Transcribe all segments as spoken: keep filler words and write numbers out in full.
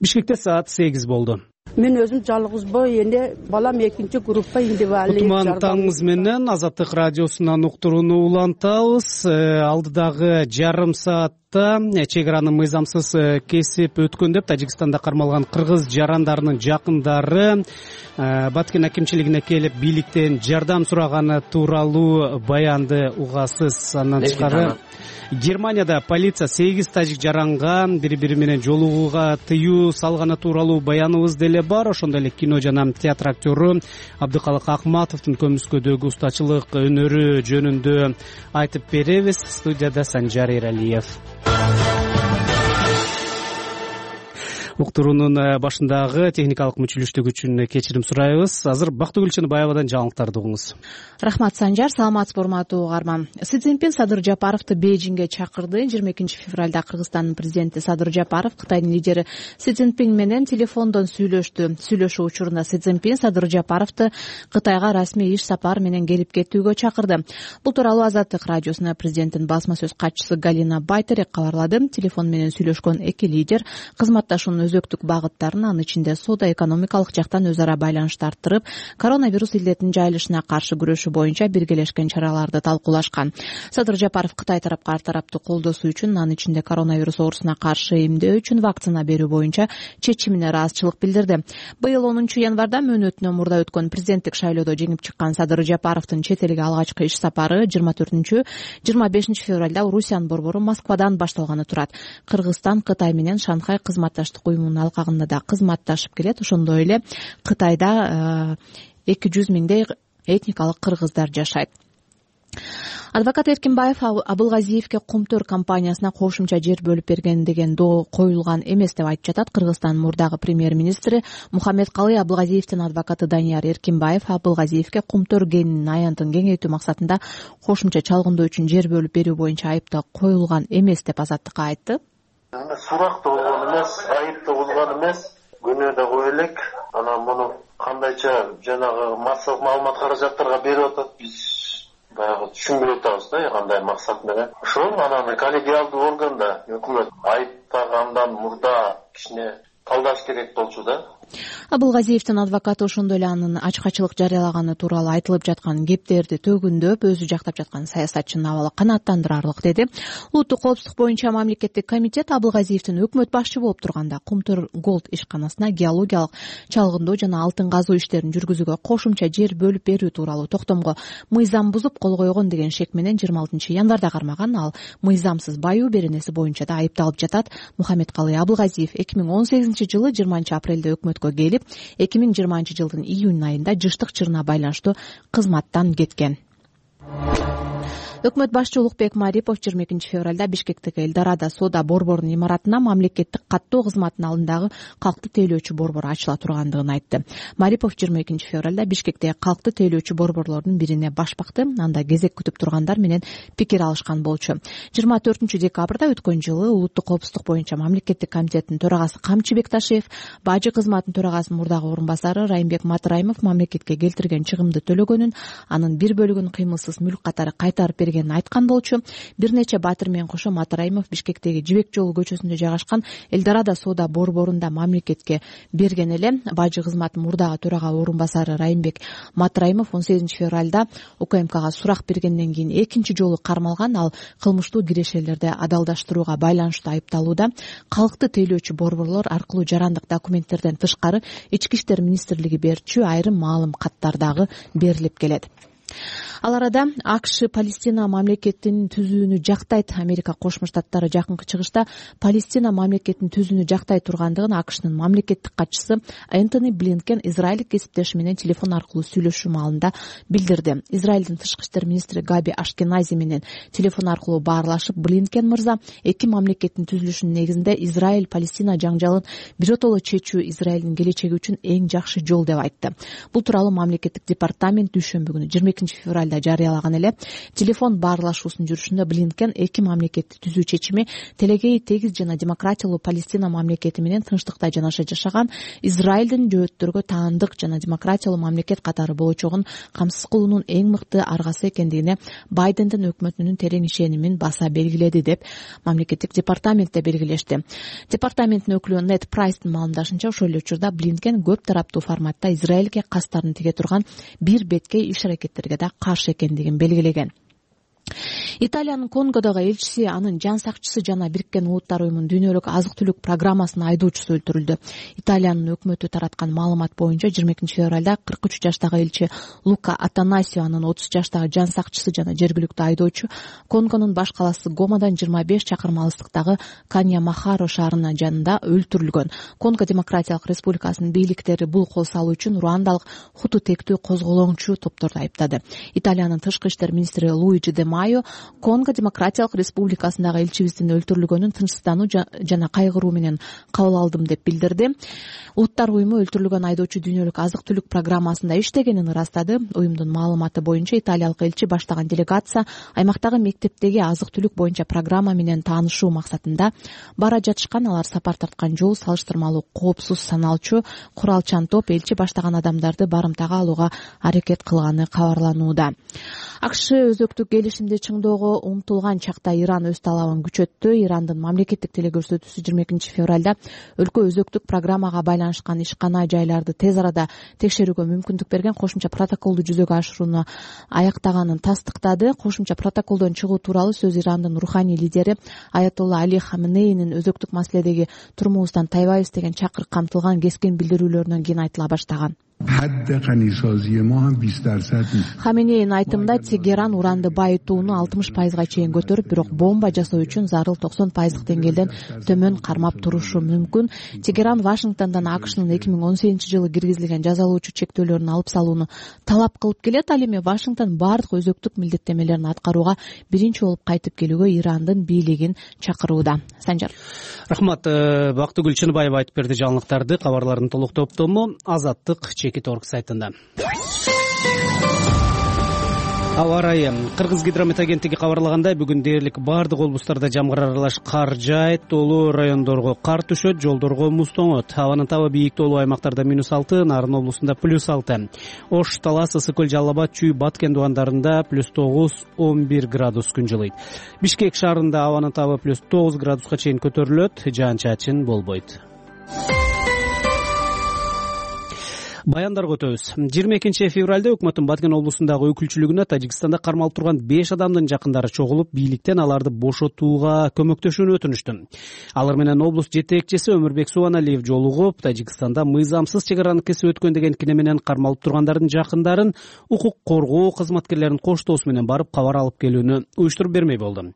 Бишкекте саат сегиз болду. Мен өзүм жалгызбы, эне балам экинчи группа индивидуалдуу. Кутман таңыңыз менен Азаттык радиосунан уктурууну улантабыз. Алдыдагы жарым саатта чек араны мыйзамсыз кесип өткөн деп Тажикстанда кармалган кыргыз жарандарынын жакындары Баткен акимчилигине келип бийликтен жардам сураганы тууралуу баянды угасыз. Андан тышкары Германияда полиция сегиз тажик жаранга бири бири менен жолугууга тыюу салганы тууралуу баяныбыз деле бар. Ошондой эле кино жана театр актеру Абдыкалык Акматовдун көмүскөдөгү устачылык өнөрү жөнүндө айтып беребиз. Студияда Санжар Эралиев. Уктуруунун башындагы техникалык мүчүлүштүк үчүн кечирим сурайбыз. Азыр Бактыгүл Чыныбаевадан жаңылыктарды угуңуз. Рахмат Санжар, саламатсызбы урматтуу угарман. Си Цзиньпин Садыр Жапаровду Бейжиңге чакырды. жыйырма экинчи февралда Кыргызстандын президенти Садыр Жапаров Кытайдын лидери Си Цзиньпин менен телефондон сүйлөштү. Сүйлөшүү учурунда Си Цзиньпин Садыр Жапаровду Кытайга расмий иш сапар менен келип кетүүгө чакырды. Бул тууралуу Азаттык радиосуна президенттин басма сөз катчысы Галина Байтерек кабарлады. Телефон менен сүйлөшкөн эки лидер кызматташуунун өзөктүк багыттарын, анын ичинде соода экономикалык жактан өз ара байланышты арттырып, коронавирус илдетинин жайылышына каршы күрөшүү боюнча биргелешкен чараларды талкуулашкан. Садыр Жапаров Кытай тарапка ар тараптуу колдосуу үчүн, анын ичинде коронавирус оорусуна каршы эмдөө үчүн вакцина берүү боюнча чечимине ыраазычылык билдирди. Быйыл онунчу январда мөөнөтүнөн мурда өткөн президенттик шайлоодо жеңип чыккан Садыр Жапаровдун чет элге алгачкы иш сапары жыйырма төртүнчү жыйырма бешинчи февралда Орусиянын борбору Москвадан башталганы турат. Кыргызстан Кытай менен Шанхай кызматташтык уюмунун алкагында да кызматташып келет. Ошондой эле Кытайда эки жүз миңдей этникалык кыргыздар жашайт. Адвокат Эркинбаев Абылгазиевке Кумтөр компаниясына кошумча жер бөлүп берген деген доо коюлган эмес деп айтып жатат Кыргызстандын мурдагы премьер-министри Мухаммедкалый Абылгазиевдин адвокаты Данияр Эркинбаев Абылгазиевке Кумтөр кенинин аянтын кеңейтүү максатында кошумча чалгындоо үчүн жер бөлүп берүү боюнча айыптоо коюлган эмес деп Азаттыкка айтты. Сурак да болгон эмес, айып да болгон эмес, күнөө да кое элек. Анан муну кандайча жанагы массалык маалымат каражаттарга берип атат, биз баягы түшүнбөй атабыз да, кандай максат менен. Ошол анан коллегиалдуу органда өкмөт айыптагандан мурда кичине талдаш керек болчу да. Абылгазиевдин адвокаты ошондой эле анын ачкачылык жарыялаганы тууралуу айтылып жаткан кептерди төгүндөп, өзү жактап жаткан саясатчынын абалы канааттандырарлык деди. Улуттук коопсуздук боюнча мамлекеттик комитет Абылгазиевдин өкмөт башчы болуп турганда Кумтөр Голд ишканасына геологиялык чалгындоо жана алтын казуу иштерин жүргүзүүгө кошумча жер бөлүп берүү тууралуу токтомго мыйзам бузуп кол койгон деген шек менен жыйырма алтынчы январда кармаган. Ал мыйзамсыз баюу беренеси боюнча да айыпталып жатат. Мухаммедкалый Абылгазиев эки миң он сегизинчи жылы жыйырманчы апрелде өкмөткө келип, эки миң жыйырманчы жылдын июнь айында жыштык чырына байланыштуу кызматтан кеткен. Өкмөт башчы Улукбек Марипов жыйырма экинчи февралда Бишкектеги Элдорадо соода борборунун имаратына мамлекеттик каттоо кызматынын алдындагы калкты тейлөөчү борбор ачыла тургандыгын айтты. Марипов жыйырма экинчи февралда Бишкектеги калкты тейлөөчү борборлордун бирине баш бакты. Анда кезек күтүп тургандар менен пикир алышкан болчу. жыйырма төртүнчү декабрда өткөн жылы Улуттук коопсуздук боюнча мамлекеттик комитеттин төрагасы Камчы Бекташев, Бажы кызматынын төрагасынын мурдагы орун басары Райымбек Матраимов мамлекетке келтирген чыгымды төлөгөнүн, анын бир бөлүгүн кыймылсыз мүлк катары кайтарып берген айткан болчу. Бир нече батыр менен кошо Матраимов Бишкектеги Жибек жолу көчөсүндө жайгашкан Элдорадо соода борборунда мамлекетке берген эле. Бажы кызматынын мурдагы төрага орун басары Райымбек Матраимов он сегизинчи февралда УКМКга сурак бергенден кийин экинчи жолу кармалган. Ал кылмыштуу кирешелерди адалдаштырууга байланыштуу айыпталууда. Калкты тейлөөчү борборлор аркылуу жарандык документтерден тышкары Ички иштер министрлиги берчү айрым маалым каттар дагы берилип келет. Ал арада АКШ Палестина мамлекетин түзүүнү жактайт. Америка Кошмо Штаттары жакынкы чыгышта Палестина мамлекетин түзүүнү жактай тургандыгын АКШнын мамлекеттик катчысы Энтони Блинкен израилдик кесиптеши менен телефон аркылуу сүйлөшүү маалында билдирди. Израилдин тышкы иштер министри Габи Ашкенази менен телефон аркылуу баарлашып, Блинкен мырза эки мамлекеттин түзүлүшүнүн негизинде Израиль Палестина жаңжалын биротоло чечүү Израилдин келечеги үчүн эң жакшы жол деп айтты. Бул тууралуу мамлекеттик департамент дүйшөмбү күнү жыйырма экинчи экинчи февралда жарыялаган эле. Телефон баарлашуусунун жүрүшүндө Блинкен эки мамлекетти түзүү чечими телегей тегиз жана демократиялуу Палестина мамлекети менен тынчтыкта жанаша жашаган Израилдин жөөттөргө таандык жана демократиялуу мамлекет катары болочогун камсыз кылуунун эң мыкты аргасы экендигине Байдендин өкмөтүнүн терең ишенимин баса белгиледи деп мамлекеттик департаментте белгилешти. Департаменттин өкүлү Нет Прайстын маалымдашынча, ошол эле учурда Блинкен көп тараптуу форматта Израилге кастарын тиге турган бир беткей иш-аракеттерге да каршы экендигин белгилеген. Италиянын Конгодогу элчиси, анын жан сакчысы жана Бириккен Улуттар уюмунун дүйнөлүк азык-түлүк программасынын айдоочусу өлтүрүлдү. Италиянын өкмөтү тараткан маалымат боюнча жыйырма экинчи февралда кырк үч жаштагы элчи Лука Атанасио, анын отуз жаштагы жан сакчысы жана жергиликтүү айдоочу Конгонун баш калаасы Гомадан жыйырма беш чакырым алыстыктагы Канья-Махаро шаарынын жанында өлтүрүлгөн. Конго Демократиялык Республикасынын бийликтери бул кол салуу үчүн руандалык хуту тектүү козголоңчу топторду айыптады. Италиянын тышкы иштер министри Луиджи де Майо Конго Демократиялык Республикасындагы элчибиздин өлтүрүлгөнүн тынчсыздануу жана кайгыруу менен кабыл алдым деп билдирди. Улуттар уюму өлтүрүлгөн айдоочу дүйнөлүк азык-түлүк программасында иштегенин ырастады. Уюмдун маалыматы боюнча италиялык элчи баштаган делегация аймактагы мектептеги азык-түлүк боюнча программа менен таанышуу максатында бара жатышкан. Алар сапар тарткан жол салыштырмалуу коопсуз саналчу куралчан топ элчи баштаган адамдарды барымтага алууга аракет кылганы кабарланууда. АКШ өзөктүк келишимди чыңдоого умтулган чакта Иран өз талабын күчөттү. Ирандын мамлекеттик телекөрсөтүүсү жыйырма экинчи февралда өлкө өзөктүк программага байланышкан ишкана жайларды тез арада текшерүүгө мүмкүндүк берген кошумча протоколду жүзөгө ашырууну аяктаганын тастыктады. Кошумча протоколдон чыгуу тууралуу сөз Ирандын руханий лидери Аятолла Али Хаменейнин өзөктүк маселедеги турумубуздан тайбайбыз деген чакырык камтылган кескин билдирүүлөрүнөн кийин айтыла баштаган. Хаменейнин айтымында Тегеран уранды байытууну алтымыш пайызга чейин көтөрүп, бирок бомба жасоо үчүн зарыл токсон пайыздык деңгээлден төмөн кармап турушу мүмкүн. Тегеран Вашингтондон АКШнын эки миң он сегизинчи жылы киргизилген жазалоочу чектөөлөрүн алып салууну талап кылып келет. Ал эми Вашингтон бардык өзөктүк милдеттемелерин аткарууга биринчи болуп кайтып келүүгө Ирандын бийлигин чакырууда. Санжар. Рахмат. Бактыгүл Чыныбаева айтып берди жаңылыктарды. Кабарлардын толук топтому Азаттык Чекит орг сайтында. Аба ырайы. Кыргыз гидромет агенттиги кабарлагандай, бүгүн дээрлик бардык облустарда жамгыр аралаш кар жаайт, тоолуу райондорго кар түшөт, жолдорго муз тоңот. Абанын табы бийик тоолуу аймактарда минус алты, Нарын облусунда плюс алты. Ош, Талас, Ысык көл, Жалал Абад, Чүй, Баткен дубандарында плюс тогуз, он бир градус күн жылыйт. Бишкек шаарында абанын табы плюс тогуз градуска чейин көтөрүлөт, жаан-чачын болбойт. Баяндарга өтөбүз. жыйырма экинчи февралда өкмөттүн Баткен облусундагы өкүлчүлүгүнө Тажикстанда кармалып турган беш адамдын жакындары чогулуп, бийликтен аларды бошотууга көмөктөшүүнү өтүнүштү. Алар менен облус жетекчиси Өмүрбек Субаналиев жолугуп, Тажикстанда мыйзамсыз чек араны кесип өткөн деген кине менен кармалып тургандардын жакындарын укук коргоо кызматкерлеринин коштоосу менен барып кабар алып келүүнү уюштуруп бермей болду.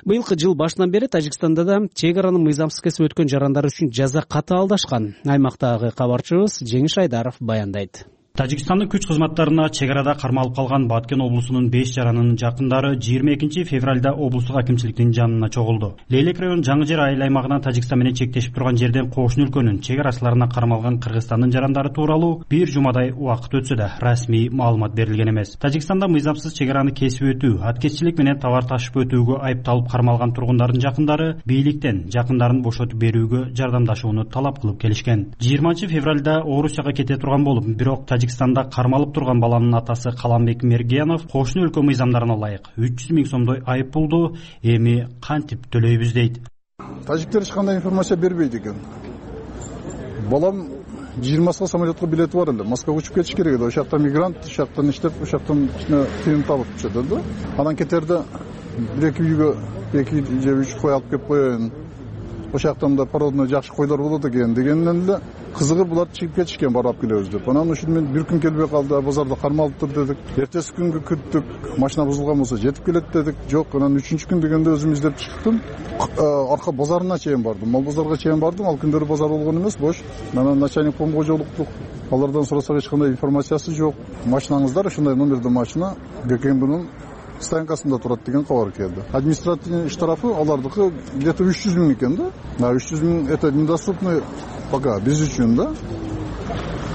Быйылкы жыл башынан бери Тажикстанда да чек араны мыйзамсыз кесип өткөн жарандар үчүн жаза катаалдашкан. Аймактагы кабарчыбыз Жеңиш Айдаров баяндайт. Тажикстандын күч кызматтарына чек арада кармалып калган Баткен облусунун беш жаранынын жакындары жыйырма экинчи февралда облустук акимчиликтин жанына чогулду. Лейлек район Жаңы Жер айыл аймагынан Тажикстан менен чектешип турган жерден кошуна өлкөнүн чек арачыларына кармалган Кыргызстандын жарандары тууралуу бир жумадай убакыт өтсө да расмий маалымат берилген эмес. Тажикстанда мыйзамсыз чек араны кесип өтүү, аткезчилик менен товар ташып өтүүгө айыпталып кармалган тургундардын жакындары бийликтен жакындарын бошотуп берүүгө жардамдашууну талап кылып келишкен. жыйырманчы февралда Орусияга кете турган болуп, бирок Тажикстанда кармалып турган баланын атасы Каламбек Мергенов кошуна өлкө мыйзамдарына ылайык үч жүз миң сомдой айып пулду эми кантип төлөйбүз дейт. Тажиктер эч кандай информация бербейт экен. Балам жыйырмасына самолетко билети бар эле. Москвага учуп кетиш керек эле. Ошакта мигрант, ошактан иштеп, ошактан ичине тыйын табып чыгат да. Анан кетерде бир эки үйгө эки же үч кой алып келип коеюн. Ошактан да породный жакшы койлор болот экен дегенден эле кызыгып булар чыгып кетишкен, барып келебиз деп. Анан ушун мен бир күн келбей калды, базарда кармалыптыр дедик. Эртеси күнгө күттүк, машина бузулган болсо жетип келет дедик. Жок, анан үчүнчү күн дегенде өзүм издеп чыктым. Арка базарына чейин бардым. Мал базарга чейин бардым. Ал күндөрү базар болгон эмес, бош. Анан начальник помго жолуктук. Алардан сурасак эч кандай информациясы жок. Машинаңыздар ушундай номерде машина ГКМБнын станкасында турат деген кабар келди. Административный штрафы алардыкы где-то үч жүз миң экен да. Да, үч жүз миң это недоступный пока биз үчүн да.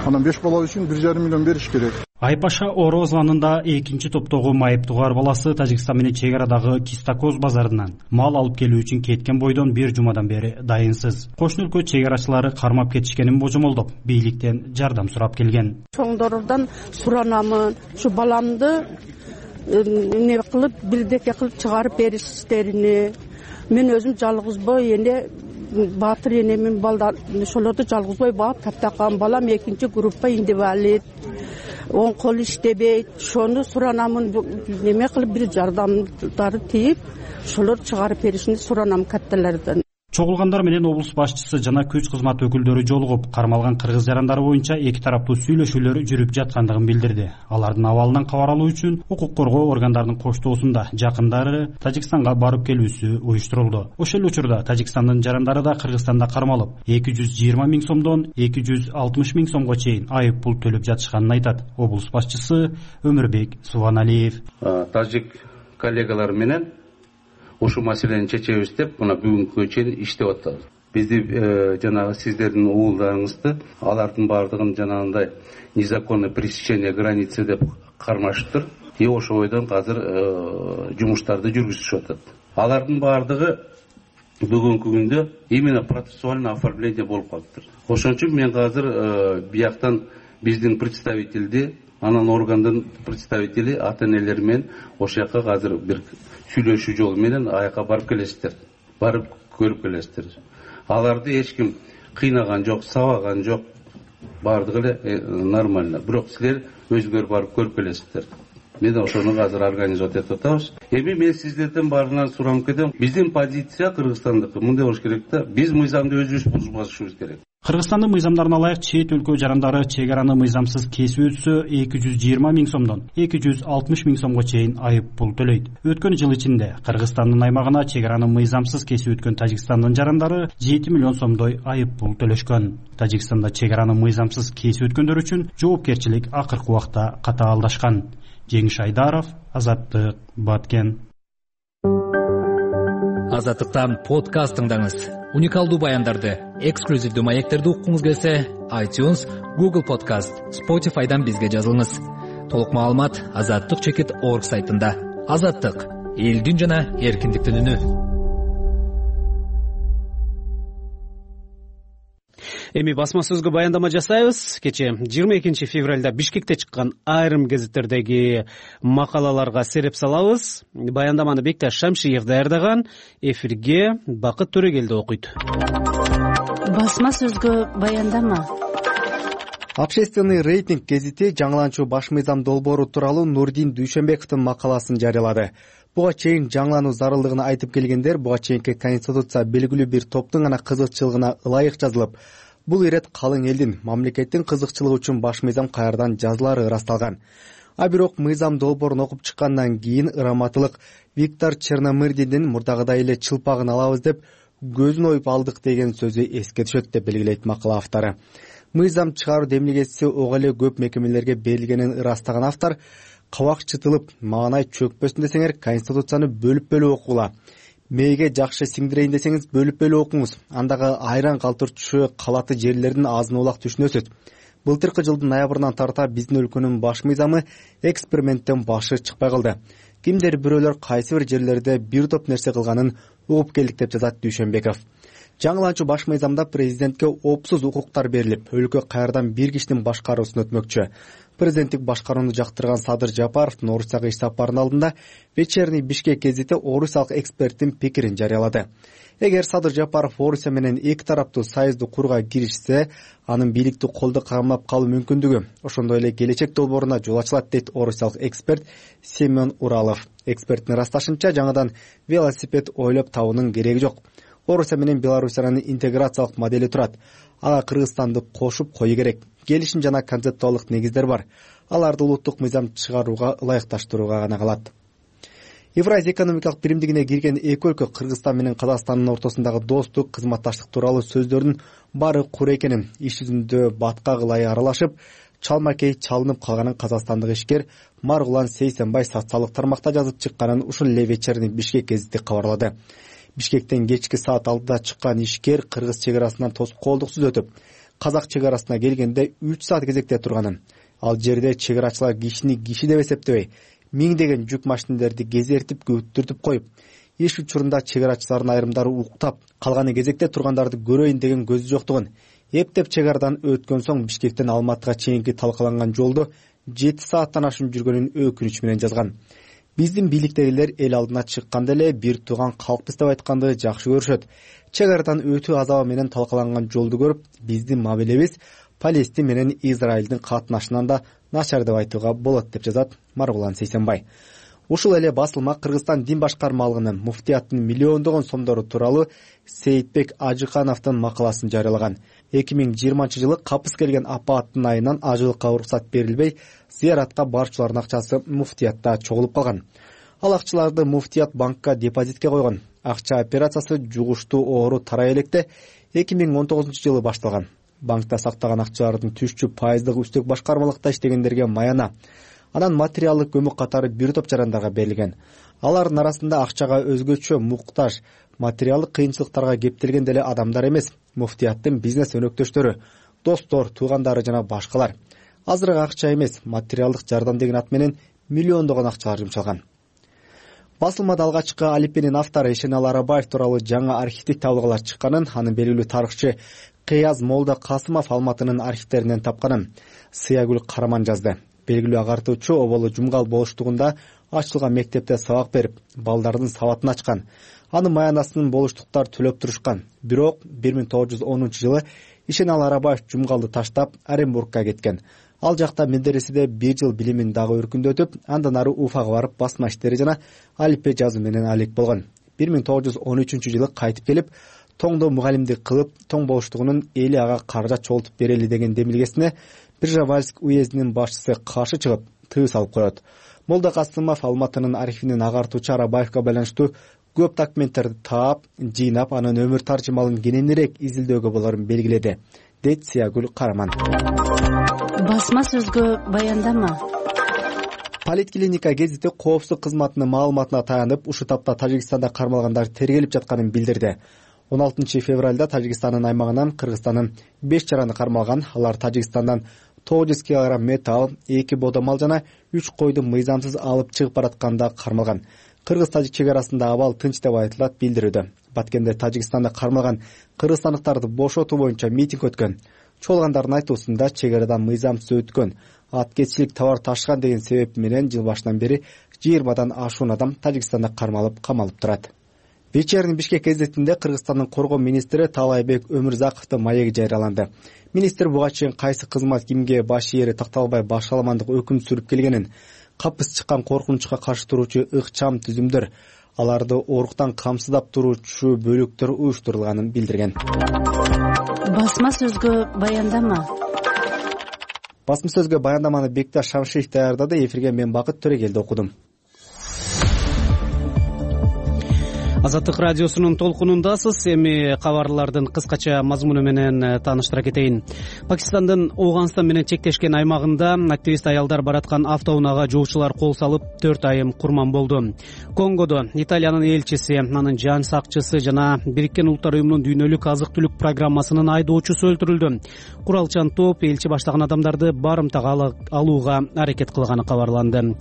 Анан беш бала үчүн бир жарым миллион бериш керек. Айпаша Орозланында экинчи топтогу майыптуугар баласы Тажикстан менен чек арадагы Кистакоз базарынан мал алып келүү үчүн кеткен бойдон бир жумадан бери дайынсыз. Кошуна өлкө чек арачылары кармап кетишкенин божомолдоп, бийликтен жардам сурап келген. Чоңдордон суранамын, ушу баламды эмне кылып, бирдеке кылып чыгарып бериштерини. Мен өзүм жалгызбой эне баатыр энемин балдар ошолорду жалгызбой баап таптакан балам экинчи группа инвалид. Он кол иштебейт. Ошону суранамын, неме кылып бир жардамдары тийип, ошолор чыгарып беришин суранам катталардан. Чогулгандар менен облус башчысы жана күч кызмат өкүлдөрү жолугуп, кармалган кыргыз жарандары боюнча эки тараптуу сүйлөшүүлөр жүрүп жаткандыгын билдирди. Алардын абалынан кабар алуу үчүн укук коргоо органдарынын коштоосунда жакындары Тажикстанга барып келүүсү уюштурулду. Ошол учурда Тажикстандын жарандары да Кыргызстанда кармалып, эки жүз жыйырма миң сомдон эки жүз алтымыш миң сомго чейин айып пул төлөп жатышканын айтат облус башчысы Өмүрбек Субаналиев. Тажик коллегалар менен ушул маселени чечебиз деп мына бүгүнкүгө чейин иштеп атабыз. Бизди жанагы сиздердин уулдарыңызды алардын баардыгын жанагындай незаконное пересечение границы деп кармашыптыр. И ошол бойдон азыр жумуштарды жүргүзүшүп атат. Алардын баардыгы бүгүнкү күндө именно процессуальный оформление болуп калыптыр. Ошон үчүн мен азыр бияктан биздин представителди, анан органдын представители ата-энелер менен ошол жака азыр бир сүйлөшүү жолу менен аяка барып келесиздер. Барып көрүп келесиздер. Аларды эч ким кыйнаган жок, сабаган жок. Бардыгы эле нормально. Бирок силер өзүңөр барып көрүп келесиздер. Мен ошону азыр организовать этип атабыз. Эми мен сиздерден баарынан суранып кетем. Биздин позиция Кыргызстандыкы мындай болуш керек да. Биз мыйзамды өзүбүз бузбашыбыз керек. Кыргызстандын мыйзамдарына ылайык чет өлкө жарандары чек араны мыйзамсыз кесип өтсө эки жүз жыйырма миң сомдон эки жүз алтымыш миң сомго чейин айып пул төлөйт. Өткөн жыл ичинде Кыргызстандын аймагына чек араны мыйзамсыз кесип өткөн Тажикстандын жарандары жети миллион сомдой айып пул төлөшкөн. Тажикстанда чек араны мыйзамсыз кесип өткөндөр үчүн жоопкерчилик акыркы убакта катаалдашкан. Жеңиш Айдаров, Азаттык, Баткен. Азаттыктан подкаст тыңдаңыз. Уникалдуу баяндарды, эксклюзивдүү маектерди уккуңуз келсе, iTunes, Google Podcast, Spotify'дан бизге жазылыңыз. Толук маалымат азаттык чекит орг сайтында. Азаттык — элдин жана эркиндиктин үнү. Эми басма сөзгө баяндама жасайбыз. Кече жыйырма экинчи февралда Бишкекте чыккан айрым гезиттердеги макалаларга сереп салабыз. Баяндаманы Бекташ Шамшиев даярдаган. Эфирге Бакыт Төрөгелди окуйт. Басма сөзгө баяндама. Общественный рейтинг гезити жаңыланчу баш мыйзам долбоору тууралуу Нурдин Дүйшөнбековдун макаласын жарыялады. Буга чейин жаңылануу зарылдыгын айтып келгендер буга чейинки конституция белгилүү бир топтун гана кызыкчылыгына ылайык жазылып, бул ирет калың элдин, мамлекеттин кызыкчылыгы үчүн баш мыйзам каярдан жазылары ырасталган. А бирок мыйзам долбоорун окуп чыккандан кийин ыраматылык Виктор Черномырдиндин мурдагыдай эле чылпагын алабыз деп көзүн оюп алдык деген сөзү эске түшөт деп белгилейт макала автору. Мыйзам чыгаруу демилгеси ого эле көп мекемелерге берилгенин ырастаган автор кабак чытылып, маанай чөкпөсүн десеңер, конституцияны бөлүп-бөлүп окугула. Мээге жакшы сиңдирейин десеңиз, бөлүп-бөлүп окуңуз. Андагы айран калтырчу калаты жерлердин азын улак түшүнөсүз. Былтыркы жылдын ноябрынан тарта биздин өлкөнүн баш мыйзамы эксперименттен башы чыкпай калды. Кимдир бирөөлөр кайсы бир жерлерде бир топ нерсе кылганын угуп келдик деп жазат Дүйшөнбеков. Жаңыланчу баш мыйзамда президентке опсуз укуктар берилип, өлкө каярдан бир кишинин башкаруусун өтмөкчү. Президенттик башкарууну жактырган Садыр Жапаровдун Орусияга иш сапарынын алдында Вечерний Бишкек гезити орусиялык эксперттин пикирин жарыялады. Эгер Садыр Жапаров Орусия менен эки тараптуу союзду курууга киришсе, анын бийликтик колдо камап калуу мүмкүндүгү ошондой эле келечек долбооруна жол ачылат дейт орусиялык эксперт Семен Уралов. Эксперттин ырасташынча, жаңадан велосипед ойлоп табуунун кереги жок. Орусия менен Белоруссиянын интеграциялык модели турат. Ага Кыргызстанды кошуп кою керек. Келишим жана концептуалдык негиздер бар. Аларды улуттук мыйзам чыгарууга ылайыкташтырууга гана калат. Евразия экономикалык биримдигине кирген эки өлкө Кыргызстан менен Казакстандын ортосундагы достук, кызматташтык тууралуу сөздөрдүн баары кур экенин, иш жүзүндө батка кылай аралашып, чалмакей чалынып калганын казакстандык ишкер Маргулан Сейсенбай социалдык тармакта жазып чыкканын ушул эле Вечерний Бишкек гезити кабарлады. Бишкектен кечки саат алтыда чыккан ишкер кыргыз чек арасынан тоскоолдуксуз өтүп, казак чек арасына келгенде үч саат кезекте турганын, ал жерде чек арачылар кишини киши деп эсептебей миңдеген жүк машинелерди кезертип күттүртүп коюп, иш учурунда чек арачылардын айрымдары уктап, калганы кезекте тургандарды көрөйүн деген көзү жоктугун, эптеп чек арадан өткөн соң Бишкектен Алматыга чейинки талкаланган жолду жети сааттан ашуун жүргөнүн өкүнүчү менен жазган. Биздин бийликтегилер эл алдына чыкканда эле бир тууган калкпыз деп айтканды жакшы көрүшөт. Чек арадан өтүү азабы менен талкаланган жолду көрүп, биздин мамилебиз Палестин менен Израилдин катнашынан да начар деп айтууга болот деп жазат Маргулан Сейсенбай. Ушул эле басылма Кыргызстан дин башкармалыгынын муфтияттын миллиондогон сомдору тууралуу Сейитбек Ажыкановдун макаласын жарыялаган. эки миң жыйырманчы жылы капыс келген апааттын айынан ажылыкка уруксат берилбей, зыяратка барчылардын акчасы муфтиятта чогулуп калган. Ал акчаларды муфтият банкка депозитке койгон. Акча операциясы жугуштуу оору тарай электе эки миң он тогузунчу жылы башталган. Банкта сактаган акчалардын түшчү пайыздык үстөк башкармалыкта иштегендерге маяна, анан материалдык көмөк катары бир топ жарандарга берилген. Алардын арасында акчага өзгөчө муктаж, материалдык кыйынчылыктарга кептелген деле адамдар эмес, муфтияттын бизнес өнөктөштөрү, достор, туугандары жана башкалар. Азырык акча эмес, материалдык жардам деген ат менен миллиондогон акчалар жумшалган. Басылмада алгачкы алипенин автору Эшенал Арабаев тууралуу жаңы архивдик табылгалар чыкканын, анын белгилүү тарыхчы Кыяз Молда Касымов Алматынын архивдеринен тапканын Сыягүл Караман жазды. Белгилүү агартуучу оболу Жумгал болуштугунда ачылган мектепте сабак берип, балдардын сабатын ачкан. Анын маянасын болуштуктар төлөп турушкан. Бирок бир миң тогуз жүз онунчу жылы Эшенал Арабаев Жумгалды таштап Оренбургка кеткен. Ал жакта медреседе бир жыл билимин дагы өркүндөтүп, андан ары Уфага барып басма иштери жана алипе жазуу менен алек болгон. бир миң тогуз жүз он үчүнчү жылы кайтып келип, тоңдо мугалимдик кылып, тоң болуштугунун эли ага каражат чогултуп берели деген демилгесине Биржавальск уездинин башчысы каршы чыгып, тыюу салып коет. Молда Касымов Алматынын архивинин агартуучу Арабаевга байланыштуу көп документтерди таап, жыйнап, анын өмүр таржымалын кененирээк изилдөөгө болорун белгиледи, дейт Сыягүл Караман. Басма сөзгө баяндама. Политклиника гезити коопсуздук кызматынын маалыматына таянып, ушул тапта Тажикстанда кармалгандар тергелип жатканын билдирди. он алтынчы февралда Тажикстандын аймагынан Кыргызстандын беш жараны кармалган. Алар Тажикстандан тогуз жүз килограмм металл, эки бодомал жана үч койду мыйзамсыз алып чыгып баратканда кармалган. Кыргыз-Тажик чек арасында абал тынч деп айтылат билдирүүдө. Баткенде Тажикстанда кармалган кыргызстандыктарды бошотуу боюнча митинг өткөн. Чогулгандардын айтуусунда чек арадан мыйзамсыз өткөн, аткечилик товар ташыган деген себеп менен жыл башынан бери жыйырмадан ашуун адам Тажикстанда кармалып камалып турат. Вечерний Бишкек гезитинде Кыргызстандын коргоо министри Таалайбек Өмүрзаковдун маеги жарыяланды. Министр буга чейин кайсы кызмат кимге баш ээри такталбай башаламандык өкүм сүрүп келгенин, капыс чыккан коркунучка каршы туруучу ыкчам түзүмдөр, аларды оруктан камсыздап туруучу бөлүктөр уюштурулганын билдирген. Басма сөзгө баяндама. Басма сөзгө баяндаманы Бекташ Шамшиев даярдады. Эфирге мен Бакыт Төрегелди окудум. Азаттык радиосунун толкунундасыз. Эми кабарлардын кыскача мазмуну менен тааныштыра кетейин. Пакистандын Ооганстан менен чектешкен аймагында активист аялдар бараткан автоунаага жоочулар кол салып, төрт айым курман болду. Конгодо Италиянын элчиси, анын жан сакчысы жана Бириккен Улуттар уюмунун дүйнөлүк азык-түлүк программасынын айдоочусу өлтүрүлдү. Куралчан топ элчи баштаган адамдарды барымтага алууга аракет кылганы кабарланды.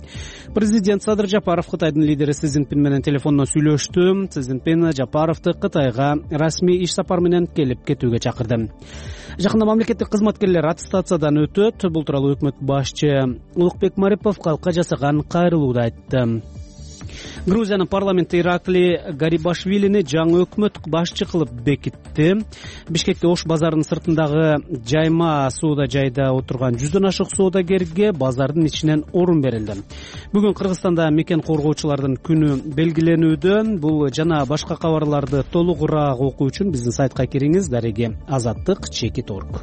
Президент Садыр Жапаров Кытайдын лидери Си Цзиньпин менен телефондон сүйлөштү. Си Цзиньпин Жапаровду Кытайга расмий иш сапар менен келип кетүүгө чакырды. Жакында мамлекеттик кызматкерлер аттестациядан өтөт. Бул тууралуу өкмөт башчы Улукбек Марипов калкка жасаган кайрылууда айтты. Грузиянын парламенти Иракли Гарибашвилини жаңы өкмөт башчы кылып бекитти. Бишкекте Ош базарынын сыртындагы жайма соода жайда отурган жүздөн ашык соодагерге базардын ичинен орун берилди. Бүгүн Кыргызстанда мекен коргоочулардын күнү белгиленүүдө. Бул жана башка кабарларды толугураак окуу үчүн биздин сайтка кириңиз. Дареги азаттык чекит орг.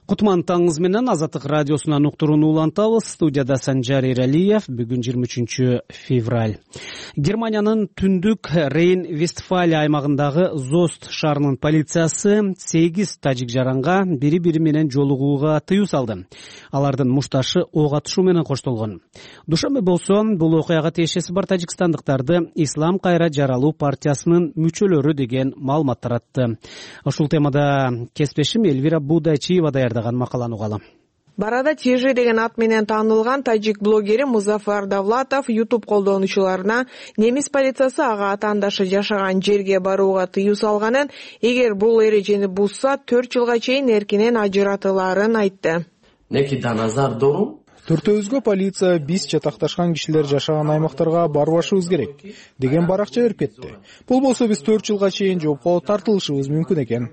Кутман таңыңыз менен Азаттык радиосунан уктурууну улантабыз. Студияда Санжар Эралиев. Бүгүн жыйырма үчүнчү февраль. Германиянын түндүк Рейн-Вестфалия аймагындагы Зост шаарынын полициясы сегиз тажик жаранга бири бири менен жолугууга тыюу салды. Алардын мушташы ок атышуу менен коштолгон. Душанбе болсо бул окуяга тиешеси бар тажикстандыктарды Ислам кайра жаралуу партиясынын мүчөлөрү деген маалымат таратты. Ушул темада кесиптешим Элвира Будайчиева даярдаган макаланы угалы. Барада Тежи деген ат менен таанылган тажик блогери Музафар Давлатов YouTube колдонуучуларына немис полициясы ага атаандашы жашаган жерге барууга тыюу салганын, эгер бул эрежени бузса төрт жылга чейин эркинен ажыратылаарын айтты. Төртөөбүзгө полиция биз чатакташкан кишилер жашаган аймактарга барбашыбыз керек деген баракча берип кетти. Бул болсо биз төрт жылга чейин жоопко тартылышыбыз мүмкүн экен,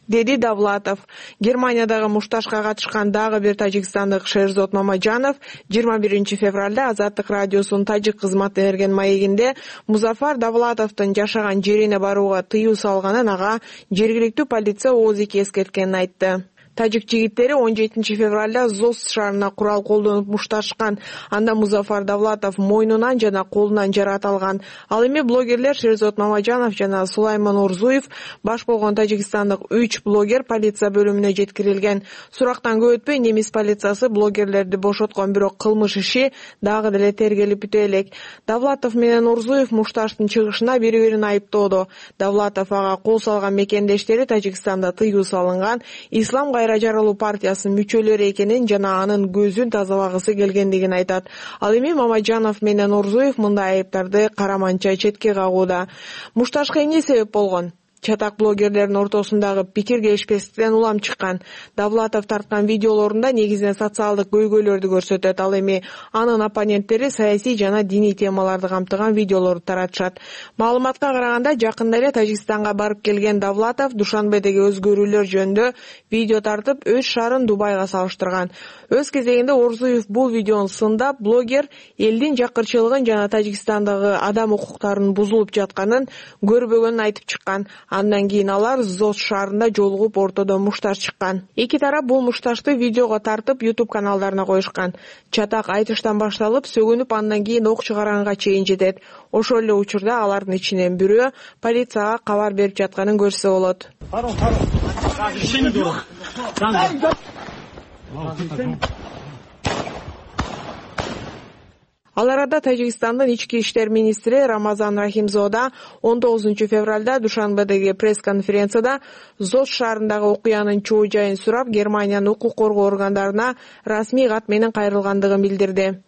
деди Давлатов. Германиядагы мушташка катышкан дагы бир тажикстандык Шерзот Мамажанов жыйырма биринчи февралда Азаттык радиосунун тажик кызматы берген маегинде Музафар Давлатовдун жашаган жерине барууга тыюу салганын, ага жергиликтүү полиция ооз-эки эскерткенин айтты. Тажик жигиттери он жетинчи февралда Зост шаарына курал колдонуп мушташкан. Анда Музафар Давлатов мойнунан жана колунан жаракат алган. Ал эми блогерлер Шерзот Мамажанов жана Сулайман Орзуев баш болгон тажикстандык үч блогер полиция бөлүмүнө жеткирилген. Сурактан көп өтпөй немис полициясы блогерлерди бошоткон, бирок кылмыш иши дагы деле тергелип бүтө элек. Давлатов менен Орзуев мушташтын чыгышына бири-бирин айыптоодо. Давлатов ага кол салган мекендештери Тажикстанда тыюу салынган Ислам кайра жаралуу партиясынын мүчөлөрү экенин жана анын көзүн тазалагысы келгендигин айтат. Ал эми Мамажанов менен Орзуев мындай айыптарды караманча четке кагууда. Мушташка эмне себеп болгон? Чатак блогерлердин ортосундагы пикир келишпестиктен улам чыккан. Давлатов тарткан видеолорунда негизинен социалдык көйгөйлөрдү көрсөтөт. Ал эми анын оппоненттери саясий жана диний темаларды камтыган видеолорду таратышат. Маалыматка караганда, жакында эле Тажикстанга барып келген Давлатов Душанбедеги өзгөрүүлөр жөнүндө видео тартып, өз шаарын Дубайга салыштырган. Өз кезегинде Орзуев бул видеону сындап, блогер элдин жакырчылыгын жана Тажикстандагы адам укуктарынын бузулуп жатканын көрбөгөнүн айтып чыккан. Андан кийин алар Зост шаарында жолугуп ортодо мушташ чыккан. Эки тарап бул мушташты видеого тартып YouTube каналдарына коюшкан. Чатак айтыштан башталып, сөгүнүп, андан кийин ок чыгаранга чейин жетет. Ошол эле учурда алардын ичинен бирөө полицияга кабар берип жатканын көрсө болот. Ал арада Тажикстандын ички иштер министри Рамазан Рахимзода он тогузунчу февралда Душанбедеги пресс-конференцияда Зост шаарындагы окуянын чоо жайын сурап, Германиянын укук коргоо органдарына расмий кат менен кайрылгандыгын билдирди.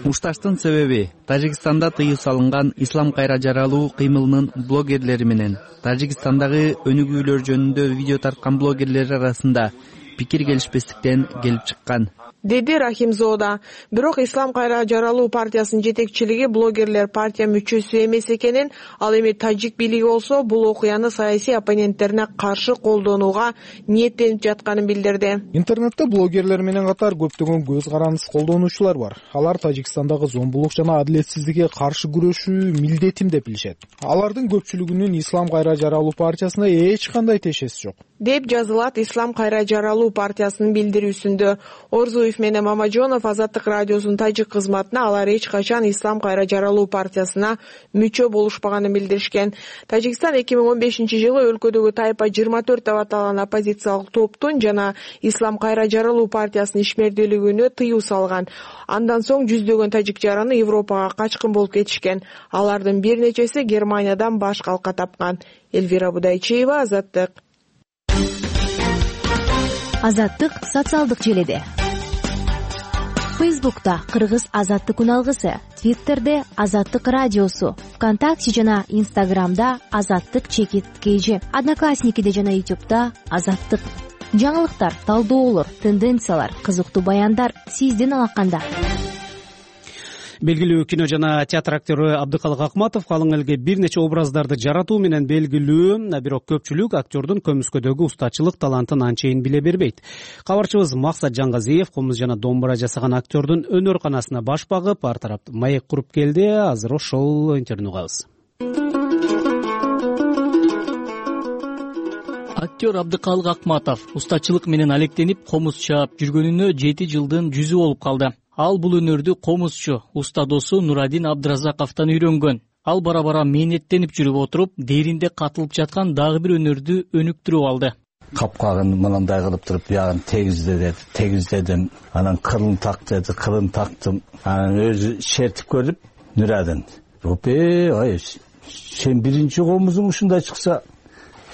Мушташтын себеби Тажикстанда тыюу салынган Ислам кайра жаралуу кыймылынын блогерлери менен Тажикстандагы өнүгүүлөр жөнүндө видео тарткан блогерлер арасында пикир келишпестиктен келип чыккан, деди Рахимзода. Бирок Ислам кайра жаралуу партиясынын жетекчилиги блогерлер партия мүчөсү эмес экенин, ал эми тажик бийлиги болсо бул окуяны саясий оппоненттерине каршы колдонууга ниеттенип жатканын билдирди. Интернетте блогерлер менен катар көптөгөн көз карандыс колдонуучулар бар. Алар Тажикстандагы зомбулук жана адилетсиздикке каршы күрөшүү милдетим деп билишет. Алардын көпчүлүгүнүн Ислам кайра жаралуу партиясына эч кандай тиешеси жок, деп жазылат Ислам кайра жаралуу партиясынын билдирүүсүндө. Орзуев менен Мамажанов Азаттык радиосунун тажик кызматына алар эч качан Ислам кайра жаралуу партиясына мүчө болушпаганын билдиришкен. Тажикстан эки миң он бешинчи жылы өлкөдөгү Тайпа жыйырма төрт деп аталган оппозициялык топтун жана Ислам кайра жаралуу партиясынын ишмердүүлүгүнө тыюу салган. Андан соң жүздөгөн тажик жараны Европага качкын болуп кетишкен. Алардын бир нечеси Германиядан баш калка тапкан. Элвира Будайчиева, Азаттык. Азаттык социалдык желеде. Фейсбукта Кыргыз Азаттык үналгысы, Твиттерде Азаттык радиосу, ВКонтакте жана Инстаграмда Азаттык чекит кж, Одноклассникиде жана Ютубта Азаттык. Жаңылыктар, талдоолор, тенденциялар, кызыктуу баяндар сиздин алаканда. Белгилүү кино жана театр актеру Абдыкалык Акматов калың элге бир нече образдарды жаратуу менен белгилүү, бирок көпчүлүк актердун көмүскөдөгү устачылык талантын анчейин биле бербейт. Кабарчыбыз Максат Жангазиев комуз жана домбура жасаган актердун өнөр канасына баш багып, ар тарапты маек куруп келди. Азыр ошол интервьюну угабыз. Актер Абдыкалык Акматов устачылык менен алектенип комуз чаап жүргөнүнө жети жылдын жүзү болуп калды. Ал бул өнөрдү комузчу уста досу Нурадин Абдыразаковдон үйрөнгөн. Ал бара-бара мээнеттенип жүрүп отуруп, дээринде катылып жаткан дагы бир өнөрдү өнүктүрүп алды. Капкагын мындай кылып туруп, биягын тегизде деди, тегиздедим. Анан кылын так деди, кылын тактым. Анан өзү шертип көрүп, Нурадин, "Ропе, ай, сен биринчи комузуң ушундай чыкса,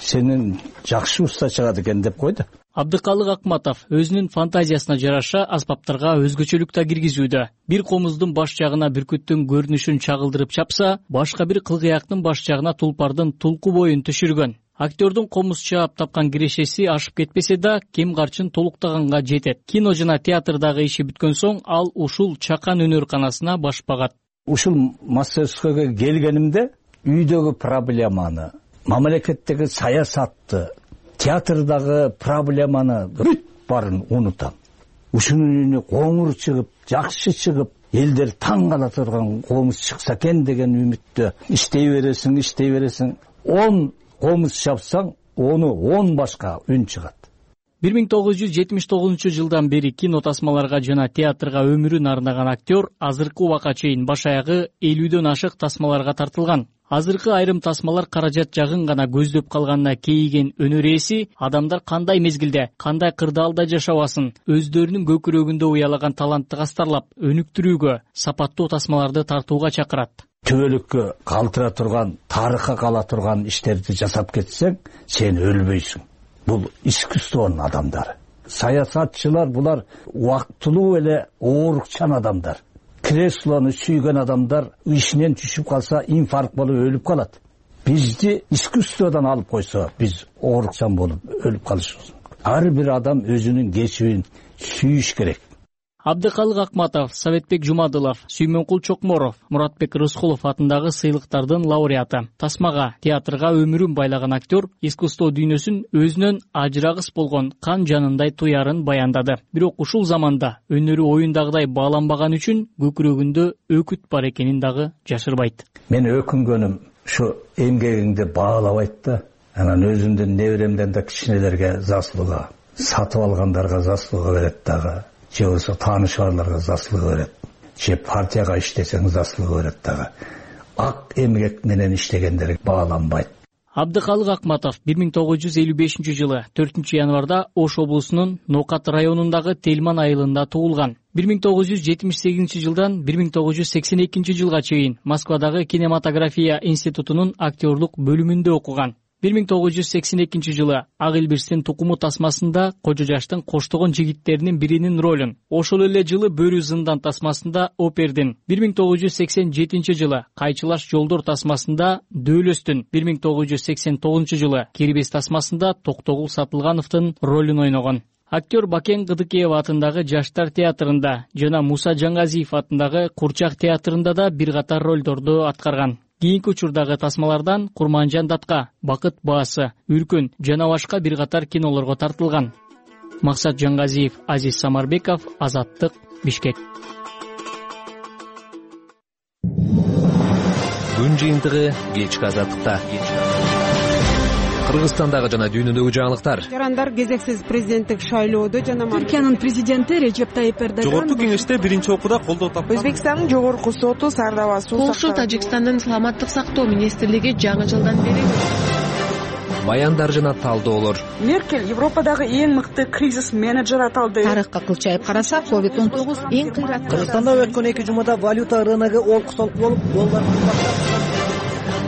сенин жакшы уста чыгат экен" деп койду. Абдыкалык Акматов өзүнүн фантазиясына жараша аспаптарга өзгөчөлүк да киргизүүдө. Бир комуздун баш жагына бүркүттүн көрүнүшүн чагылдырып чапса, башка бир кылгыяктын баш жагына тулпардын тулку боюн түшүргөн. Актердун комуз чаап тапкан кирешеси ашып кетпесе да, кем карчын толуктаганга жетет. Кино жана театрдагы иши бүткөн соң ал ушул чакан өнөрканасына баш багат. Ушул мастерскойго келгенимде үйдөгү проблеманы, мамлекеттеги саясатты, театрдагы проблеманы бүт баарын унутам. Ушунун үнү коңур чыгып, жакшы чыгып, элдер таң кала турган комуз чыкса экен деген үмүттө иштей бересиң, иштей бересиң. он комуз чапсаң, onu он башка үн чыгат. бир миң тогуз жүз жетимиш тогузунчу жылдан бери кино тасмаларга жана театрга өмүрүн арнаган актер азыркы убакка чейин баш аягы элүүдөн ашык тасмаларга тартылган. Азыркы айрым тасмалар каражат жагын гана көздөп калганына кейиген өнөр ээси адамдар кандай мезгилде, кандай кырдаалда жашабасын, өздөрүнүн көкүрөгүндө уялаган талантты кастарлап, өнүктүрүүгө, сапаттуу тасмаларды тартууга чакырат. Түбөлүккө калтыра турган, тарыхка кала турган иштерди жасап кетсең, сен өлбөйсүң. Бул искусствонун адамдары. Саясатчылар булар убактылуу эле оорукчан адамдар. Креслону сүйгөн адамдар ишинен түшүп калса инфаркт болуп өлүп калат. Бизди искусстводан алып койсо, биз оорукчан болуп өлүп калышыбыз. Ар бир адам өзүнүн кесибин сүйүш керек. Абдыкалык Акматов, Советбек Жумадылов, Сүймөнкул Чокморов, Муратбек Рыскулов атындагы сыйлыктардын лауреаты. Тасмага, театрга өмүрүн байлаган актер искусство дүйнөсүн өзүнөн ажырагыс болгон кан жанындай туярын баяндады. Бирок ушул заманда өнөрү оюндагыдай бааланбаган үчүн көкүрөгүндө өкүт бар экенин дагы жашырбайт. Мен өкүнгөнүм ушу эмгегиңди баалабайт да, анан өзүмдүн неберемден да кичинелерге заслуга, сатып алгандарга заслуга берет дагы. Же болсо тааныш барларга заслуга берет. Же партияга иштесең заслуга берет дагы. Ак эмгек менен иштегендер бааланбайт. Абдыкалык Акматов бир миң тогуз жүз элүү бешинчи жылы төртүнчү январда Ош облусунун Нокат районундагы Телман айылында туулган. бир миң тогуз жүз жетимиш сегизинчи жылдан бир миң тогуз жүз сексен экинчи жылга чейин Москвадагы кинематография институтунун актерлук бөлүмүндө окуган. бир миң тогуз жүз сексен экинчи жылы Ак Илбирстин тукуму тасмасында Кожо жаштын коштогон жигиттеринин биринин ролун, ошол эле жылы Бөрү зындан тасмасында Опердин, бир миң тогуз жүз сексен жетинчи жылы Кайчылаш жолдор тасмасында Дөөлөстүн, бир миң тогуз жүз сексен тогузунчу жылы Кирбес тасмасында Токтогул Сатылгановдун ролун ойногон. Актер Бакен Кыдыкеева атындагы Жаштар театрында жана Муса Жаңгазиев атындагы Курчак театрында да бир катар ролдорду аткарган. Кийинки учурдагы тасмалардан Курманжан Датка, Бакыт баасы, Үркүн жана башка бир катар кинолорго тартылган. Максат Жаңгазиев, Азиз Самарбеков, Азаттык, Бишкек. Күн жыйынтыгы кечки Азаттыкта. Кыргызстандагы жана дүйнөдөгү жаңылыктар. Жарандар кезексиз президенттик шайлоодо жана Түркиянын президенти Режеп Тайип Эрдоган Жогорку кеңеште биринчи окууда колдоо тапкан. Өзбекстандын жогорку соту Сардаба суу Полша Тажикстандын саламаттык сактоо министрлиги жаңы жылдан бери баяндар жана талдоолор. Меркель Европадагы эң мыкты кризис менеджер аталды. Тарыхка кылчайып карасак, ковид он тогуз эң кыйрат. Кыргызстанда өткөн эки жумада валюта рыногу олку-солку болуп, доллар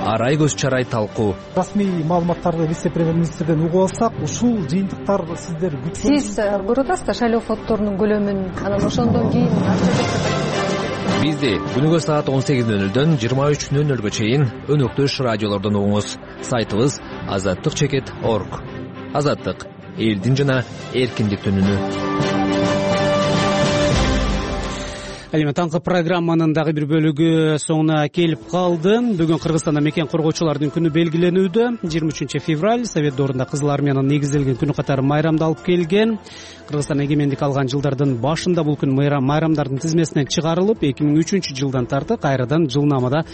Арай көз чарай талкуу. Расмий маалыматтарды вице-премьер-министрден угуп алсак, ушул жыйынтыктар сиздер күткөн. Сиз көрүп атасыздар шайлоо фонддорунун көлөмүн, анан ошондон кийин Бизди күнүгө саат он сегиз нөл нөлдөн жыйырма үч нөл нөлгө чейин өнөктөш радиолордон угуңуз. Сайтыбыз азаттык чекит точка орг. Азаттык элдин жана эркиндиктин үнү. ал эми таңкы программанын дагы бир бөлүгү соңуна келип калды. Бүгүн Кыргызстанда мекен коргоочулардын күнү белгиленүүдө. жыйырма үчүнчү февраль Совет доорунда Кызыл армиянын негизделген күнү катары майрамдалып келген. Кыргызстан эгемендик алган жылдардын башында бул күн майрамдардын тизмесинен чыгарылып, эки миң үчүнчү жылдан тартып кайрадан жылнамада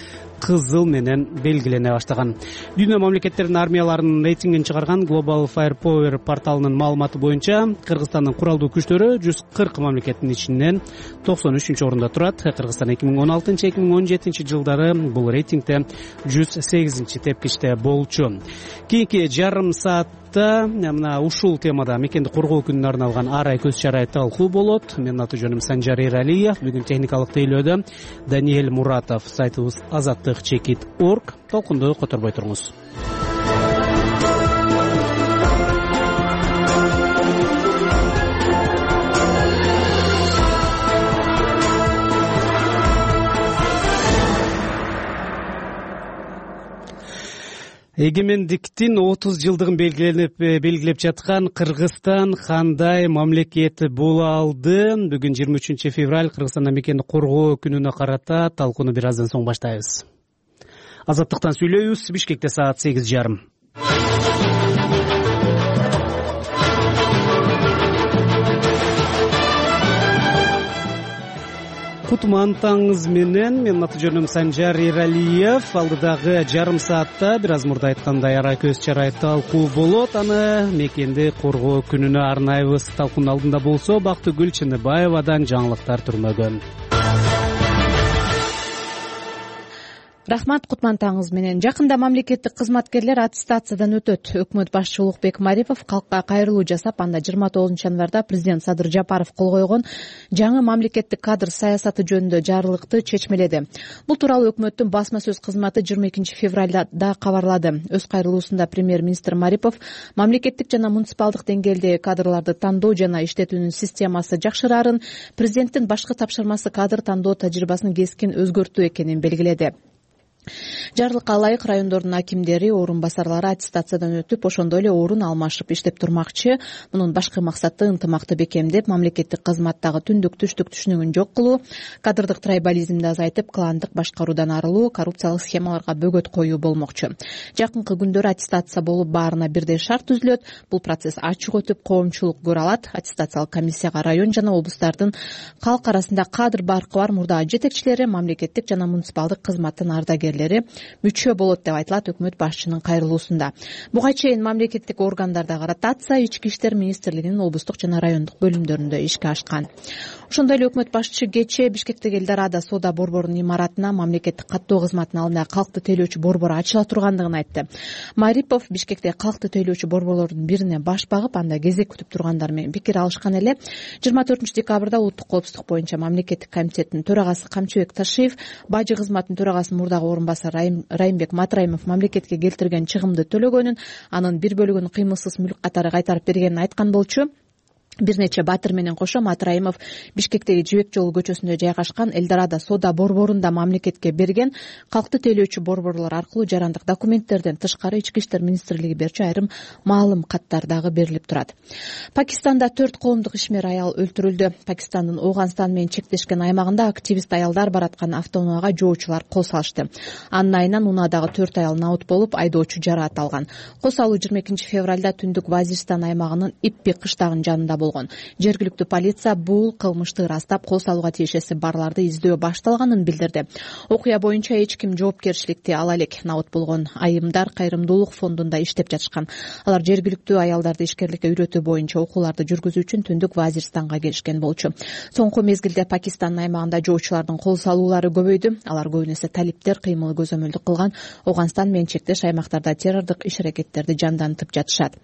кызыл менен белгилене баштаган. Дүйнө мамлекеттеринин армияларынын рейтингин чыгарган Global Firepower порталынын маалыматы боюнча Кыргызстандын куралдуу күчтөрү жүз кырк мамлекеттин ичинен токсон үчүнчү орунда турат. Кыргызстан эки миң он алтынчы эки миң он жетинчи жылдары бул рейтингде жүз сегизинчи тепкичте болчу. Кийинки жарым саатта мына ушул темада мекенди коргоо күнүнө арналган ар ай көз чарай талкуу болот. Менин аты жөнүм Санжар Эралиев. Бүгүн техникалык тейлөөдө Даниэль Муратов. Сайтыбыз азаттык чекит точка орг. Толкунду которбой туруңуз. Эгемендиктин отуз жылдыгын белгилеп белгилеп жаткан Кыргызстан кандай мамлекет боло алды? Бүгүн жыйырма үчүнчү февраль Кыргызстанда мекенди коргоо күнүнө карата талкууну бир аздан соң баштайбыз. Азаттыктан сүйлөйбүз. Бишкекте саат сегиз жарым. Кутман таңыңыз менен. Менин аты жөнүм Санжар Эралиев. Алдыдагы жарым саатта бир аз мурда айткандай ара көз чарай талкуу болот. Аны мекенди коргоо күнүнө арнайбыз. Талкуунун алдында болсо Бактыгүл Чыныбаевадан жаңылыктар түрмөгөн. Рахмат, Кутман таңыңыз менен. Жакында мамлекеттик кызматкерлер аттестациядан өтөт. Өкмөт башчысы Улукбек Марипов калкка кайрылуу жасап, анда жыйырма тогузунчу январда президент Садыр Жапаров кол койгон жаңы мамлекеттик кадр саясаты жөнүндө жарлыкты чечмеледи. Бул тууралуу өкмөттүн басма сөз кызматы жыйырма экинчи февралда да кабарлады. Өз кайрылуусунда премьер-министр Марипов мамлекеттик жана муниципалдык деңгээлдеги кадрларды тандоо жана иштетүүнүн системасы жакшырарын, президенттин башкы тапшырмасы кадр тандоо тажрыйбасын кескин өзгөртүү экенин белгиледи. Жарлыкка ылайык райондордун акимдери, орун басарлары аттестациядан өтүп, ошондой эле орун алмашып иштеп турмакчы. Мунун башкы максаты ынтымакты бекемдеп, мамлекеттик кызматтагы түндүк түштүк түшүнүгүн жок кылуу, кадрдык трайбализмди азайтып, кландык башкаруудан арылуу, коррупциялык схемаларга бөгөт коюу болмокчу. Жакынкы күндөрү аттестация болуп, баарына бирдей шарт түзүлөт. Бул процесс ачык өтүп, коомчулук көрө алат. Аттестациялык комиссияга район жана облустардын калк арасында кадр баркы бар мурдагы жетекчилери, мамлекеттик жана муниципалдык кызматтын ардагерлери мүчө болот деп айтылат өкмөт башчынын кайрылуусунда. Буга чейин мамлекеттик органдарда ротация ички иштер министрлигинин облустук жана райондук бөлүмдөрүндө ишке ашкан. Ошондой эле өкмөт башчысы кечээ Бишкектеги Элдорадо соода борборунун имаратына мамлекеттик каттоо кызматынын алдында калкты тейлөөчү борбор ачыла тургандыгын айтты. Марипов Бишкекте калкты тейлөөчү борборлордун бирине баш багып, анда кезек күтүп тургандар менен пикир алышкан эле. жыйырма төртүнчү декабрда улуттук коопсуздук боюнча мамлекеттик комитеттин төрагасы Камчыбек Ташиев, бажы кызматынын төрагасынын мурдагы орунбасары Райымбек Матраимов мамлекетке келтирген чыгымды төлөгөнүн, анын бир бөлүгүн кыймылсыз мүлк катары кайтарып бергенин айткан болчу. Бир нече батыр менен кошо Матраимов Бишкектеги Жибек жолу көчөсүндө жайгашкан Элдорадо соода борборунда мамлекетке берген калкты тейлөөчү борборлор аркылуу жарандык документтерден тышкары ички иштер министрлиги берчү айрым маалым каттар дагы берилип турат. Пакистанда төрт коомдук ишмер аял өлтүрүлдү. Пакистандын Ооганстан менен чектешкен аймагында активист аялдар бараткан автоунаага жоочулар кол салышты. Анын айынан унаадагы төрт аял наут болуп, айдоочу жараат алган. Кол салуу жыйырма экинчи февралда түндүк Вазиристан аймагынын Иппи кыштагынын жанында болгон. Жергиликтүү полиция бул кылмышты ырастап, кол салууга тиешеси барларды издөө башталганын билдирди. Окуя боюнча эч ким жоопкерчиликти ала элек. Наут болгон айымдар кайрымдуулук фондунда иштеп жатышкан. Алар жергиликтүү аялдарды ишкерликке үйрөтүү боюнча окууларды жүргүзүү үчүн түндүк Вазиристанга келишкен болчу. Соңку мезгилде Пакистандын аймагында жоочулардын кол салуулары көбөйдү. Алар көбүн эсе талиптер кыймыл көзөмөлдүк кылган Ооганстан менен чектеш аймактарда террордук иш-аракеттерди жандантып жатышат.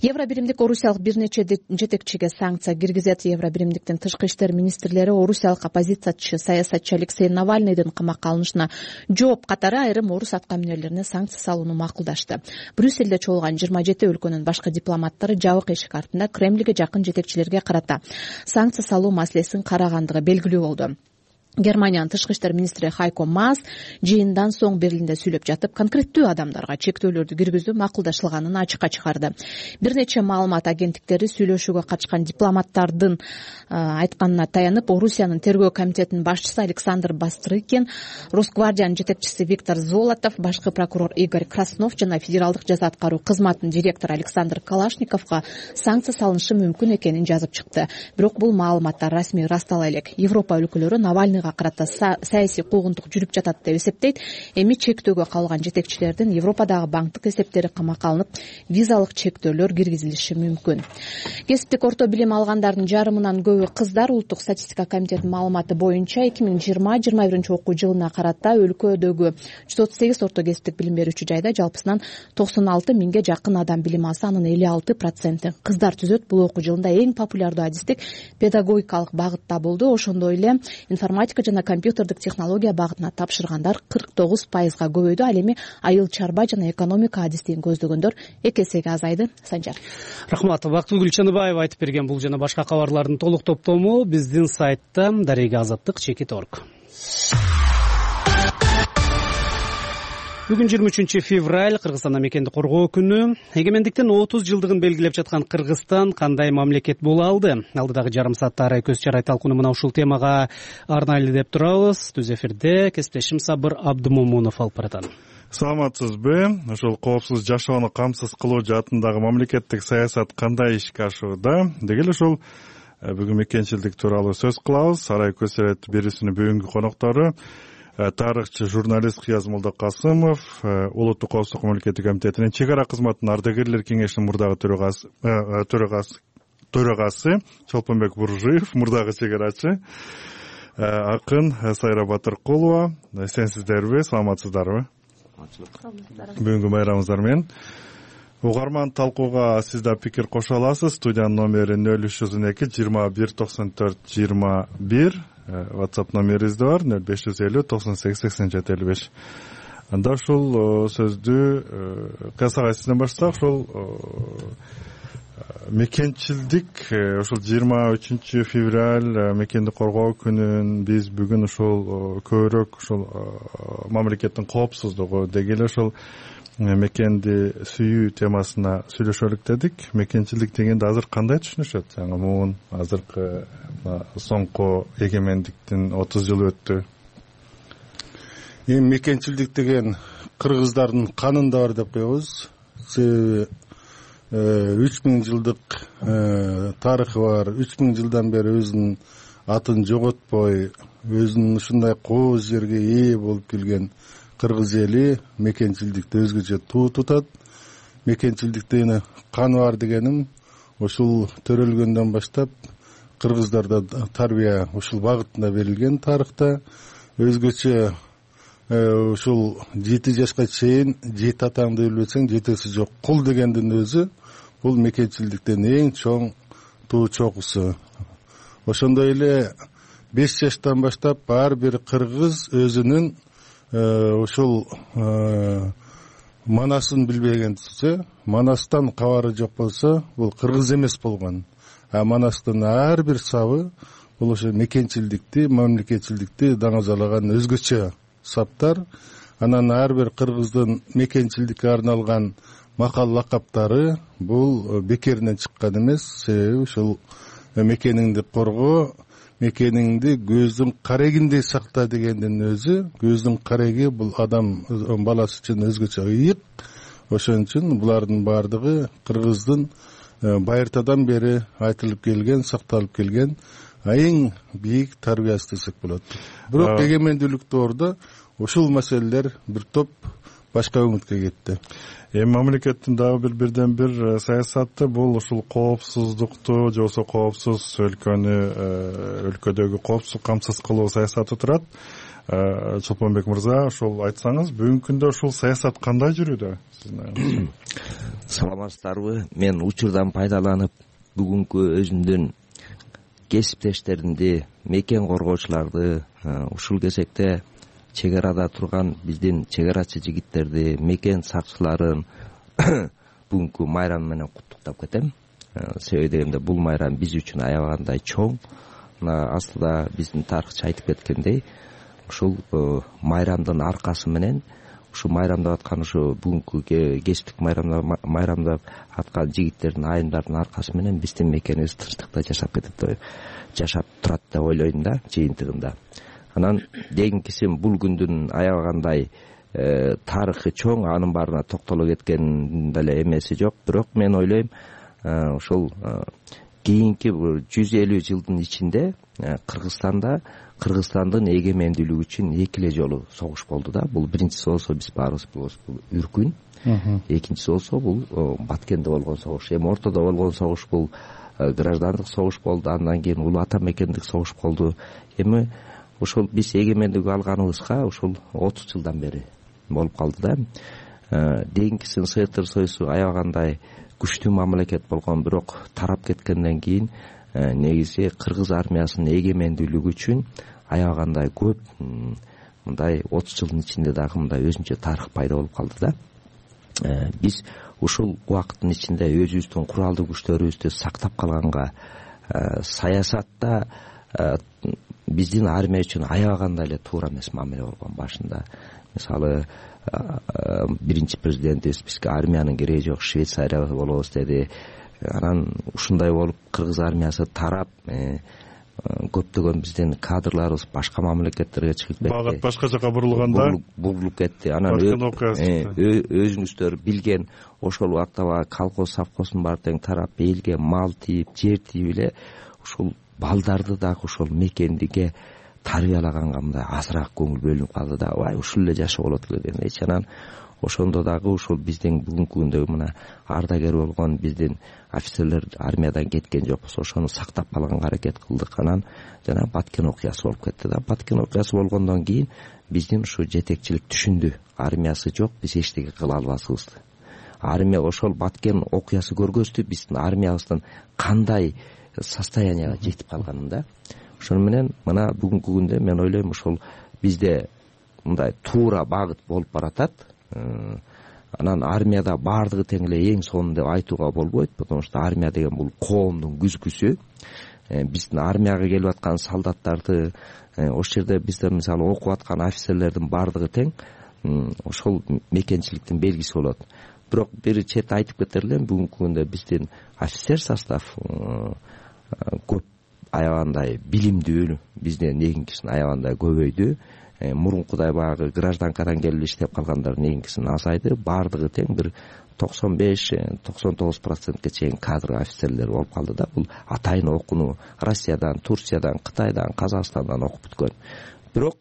Евробиримдик орусиялык бир нече жетекчиге санкция киргизет. Евробиримдиктин тышкы иштер министрлери орусиялык оппозициячы саясатчы Алексей Навальныйдын камакка алынышына жооп катары айрым орус аткаминерлерине санкция салууну макулдашты. Брюссельде чогулган жыйырма жети өлкөнүн башкы дипломаттары жабык эшик артында Кремльге жакын жетекчилерге карата санкция салуу маселесин карагандыгы белгилүү болду. Германиянын тышкы иштер министри Хайко Маас жыйындан соң Берлинде сүйлөп жатып, конкреттүү адамдарга чектөөлөрдү киргизүү макулдашылганын ачыкка чыгарды. Бир нече маалымат агенттиктери сүйлөшүүгө катышкан дипломаттардын айтканына таянып, Орусиянын тергөө комитетинин башчысы Александр Бастрыкин, Росгвардиянын жетекчиси Виктор Золотов, башкы прокурор Игорь Краснов жана федералдык жаза аткаруу кызматынын директору Александр Калашниковго санкция салынышы мүмкүн экенин жазып чыкты. Бирок бул маалыматтар расмий ырастала элек. Европа өлкөлөрү Навальныйга карата саясий куугунтук жүрүп жатат деп эсептейт. Эми чектөөгө калган жетекчилердин Европадагы банктык эсептери камакка алынып, визалык чектөөлөр киргизилиши мүмкүн. Кесиптик орто билим алгандардын жарымынан көбү кыздар. Улуттук статистика комитетинин маалыматы боюнча эки миң жыйырма жыйырма биринчи окуу жылына карата өлкөдөгү жүз отуз сегиз орто кесиптик билим берүүчү жайда жалпысынан токсон алты миңге жакын адам билим алса, анын элүү алты проценти кыздар түзөт. Бул окуу жылында эң популярдуу адистик педагогикалык багытта болду. Ошондой эле информатика жана компьютердик технология багытына тапшыргандар кырк тогуз пайызга көбөйдү. Ал эми айыл чарба жана экономика адистигин көздөгөндөр эки эсеге азайды. Санжар. Рахмат. Бактыгүл Гүлчаныбаева айтып берген бул жана башка кабарлардын толук топтому биздин сайтта дареги азаттык чекит орг. Бүгүн жыйырма үчүнчү февраль, Кыргызстанда мекенди коргоо күнү. Эгемендиктин отуз жылдыгын белгилеп жаткан Кыргызстан кандай мамлекет боло алды? Алдыдагы жарым саатта арай көз чарай талкууну мына ушул темага арнайлы деп турабыз. Түз эфирде кесиптешим Сабыр Абдымомунов алып баратат. Саламатсызбы? Ошол коопсуз жашоону камсыз кылуу жаатындагы мамлекеттик саясат кандай ишке ашууда? Деги эле ошол бүгүн мекенчилдик тууралуу сөз кылабыз. Арай көз чарай берүүсүнүн бүгүнкү коноктору тарыхчы журналист Кыяз Молдокасымов, Улуттук коопсуздук мамлекеттик комитетинин чек ара кызматынын ардагерлер кеңешинин мурдагы төрагасы төрагасы Чолпонбек Буржиев, мурдагы чек арачы, акын Сайра Батыркулова. Эсенсиздерби, саламатсыздарбы? Бүгүнкү байрамыңыздар менен. Угарман талкууга сиз да пикир кошо аласыз. Студиянын номери нөл үч жүз он эки жыйырма бир токсон төрт жыйырма бир. WhatsApp номерибиз да бар нөл беш жүз элүү токсон сегиз сексен жети элүү беш. Анда ушул сөздү касага сизден баштасак, ушул мекенчилдик ушул жыйырма үчүнчү февраль мекенди коргоо күнүн биз бүгүн ушул көбүрөөк ушул мамлекеттин коопсуздугу деги эле ушул мекенди сүйүү темасына сүйлөшөлүк дедик. Мекенчилдик дегенде азыр кандай түшүнүшөт? Жаңы муун азыркы соңку эгемендиктин отуз жылы өттү. Эми мекенчилдик деген кыргыздардын канында бар деп коебуз. Себеби үч миң жылдык тарыхы бар. үч миң жылдан бери өзүнүн атын жоготпой, өзүнүн ушундай кооз жерге ээ болуп келген кыргыз эли мекенчилдикти өзгөчө туу тутат. Мекенчилдикте каны бар дегеним ушул төрөлгөндөн баштап кыргыздарда тарбия ушул багытында берилген тарыхта. Өзгөчө ушул жети жашка чейин жети атаңды билбесең жетеси жок кул дегендин өзү бул мекенчилдиктин эң чоң туу чокусу. Ошондой эле беш жаштан баштап ар бир кыргыз өзүнүн ушул манасын билбегенче, манастан кабары жок болсо бул кыргыз эмес болгон. А манастын ар бир сабы бул ошо мекенчилдикти, мамлекетчилдикти даңазалаган өзгөчө саптар. Анан ар бир кыргыздын мекенчилдикке арналган макал лакаптары бул бекеринен чыккан эмес. Себеби ушул мекениңди коргоо, мекениңди көздүн карегиндей сакта дегендин өзү, көздүн кареги бул адам баласы үчүн өзгөчө ыйык. Ошон үчүн булардын баардыгы кыргыздын байыртадан бери айтылып келген, сакталып келген эң бийик тарбиясы десек болот. Бирок эгемендүүлүктө ордо ушул маселелер бир топ башка өңүткө кетти. Эми мамлекеттин дагы бир бирден бир саясаты бул ушул коопсуздукту же болбосо коопсуз өлкөнү өлкөдөгү коопсуздук камсыз кылуу саясаты турат. Чолпонбек мырза, ошол айтсаңыз, бүгүнкү күндө ушул саясат кандай жүрүүдө? Саламатсыздарбы? Мен учурдан пайдаланып бүгүнкү өзүмдүн кесиптештеримди, мекен коргоочуларды, ушул кезекте чек арада турган биздин чек арачы жигиттерди, мекен сакчыларын бүгүнкү майрам менен куттуктап кетем. Себеби дегенде бул майрам биз үчүн аябагандай чоң. мына астыда биздин тарыхчы айтып кеткендей ушул майрамдын аркасы менен ушу майрамдап аткан ушу бүгүнкү кечтик майрамдап аткан жигиттердин айымдардын аркасы менен биздин мекенибиз тынчтыкта жашап кетет жашап турат деп ойлойм да жыйынтыгында. Анан кийинкисин бул күндүн аябагандай тарыхы чоң, анын баарына токтоло кеткен деле эмеси жок, бирок мен ойлойм ошол кийинки жүз элүү жылдын ичинде Кыргызстанда Кыргызстандын эгемендүүлүгү үчүн эки эле жолу согуш болду да. Бул биринчиси болсо биз баарыбыз билебиз, бул Үркүн. Экинчиси болсо бул Баткенде болгон согуш. Эми ортодо болгон согуш бул граждандык согуш болду, андан кийин улуу ата мекендик согуш болду. Эми ошол биз эгемендүүлүк алганыбызга ушул отуз жылдан бери болуп калды да. Дейинкисин СССР Союзу аябагандай күчтүү мамлекет болгон, бирок тарап кеткенден кийин негизи кыргыз армиясынын эгемендүүлүгү үчүн аябагандай көп мындай отуз жылдын ичинде дагы мындай өзүнчө тарых пайда болуп калды да. Биз ушул убакыттын ичинде өзүбүздүн куралдуу күчтөрүбүздү сактап калганга, саясатта биздин армия үчүн аябагандай эле туура эмес мамиле болгон. Башында мисалы биринчи президентибиз бизге армиянын кереги жок, Швейцария болобуз деди. Анан ушундай болуп кыргыз армиясы тарап, көптөгөн биздин кадрларыбыз башка мамлекеттерге чыгып кетти. Багат башка жака бурулганда бурулуп кетти. Анан өзүңүздөр билген ошол убакта колхоз совхоздун баары тең тарап, элге мал тийип, жер тийип эле ушул балдарды дагы ошол мекендиге тарбиялаганга мындай азыраак көңүл бөлүнүп калды да. Ай ушул эле жашоо болот эле дегендейчи. Анан ошондо дагы ушул биздин бүгүнкү күндөгү мына ардагер болгон биздин офицерлер армиядан кеткен жокпуз, ошону сактап калганга аракет кылдык. Анан жана Баткен окуясы болуп кетти да. Баткен окуясы болгондон кийин биздин ушу жетекчилик түшүндү, армиясы жок, биз эчтеке кыла албасыбызды. Армия ошол Баткен окуясы көргөздү биздин армиябыздын кандай состоянияга жетип калганын да. Ошону менен мына бүгүнкү күндө мен ойлойм ошол бизде мындай туура багыт болуп баратат. Анан армияда баардыгы тең эле эң сонун деп айтууга болбойт, потому что армия деген бул коомдун күзгүсү. Биздин армияга келип аткан солдаттарды, ошол жерде биздер мисалы окуп аткан офицерлердин баардыгы тең, ошол мекенчиликтин белгиси болот. Бирок бир чети айтып кетер элем, бүгүнкү күндө биздин офицер состав көп аябагандай билимдүү, бизден негинкисин аябагандай көбөйдү. Мурункудай баягы гражданкадан келип иштеп калгандар негинкисин азайды. Баардыгы тең бир токсон беш токсон тогуз процентке чейин кадр офицерлер болуп калды да. Бул атайын окууну Россиядан, Турциядан, Кытайдан, Казакстандан окуп бүткөн. Бирок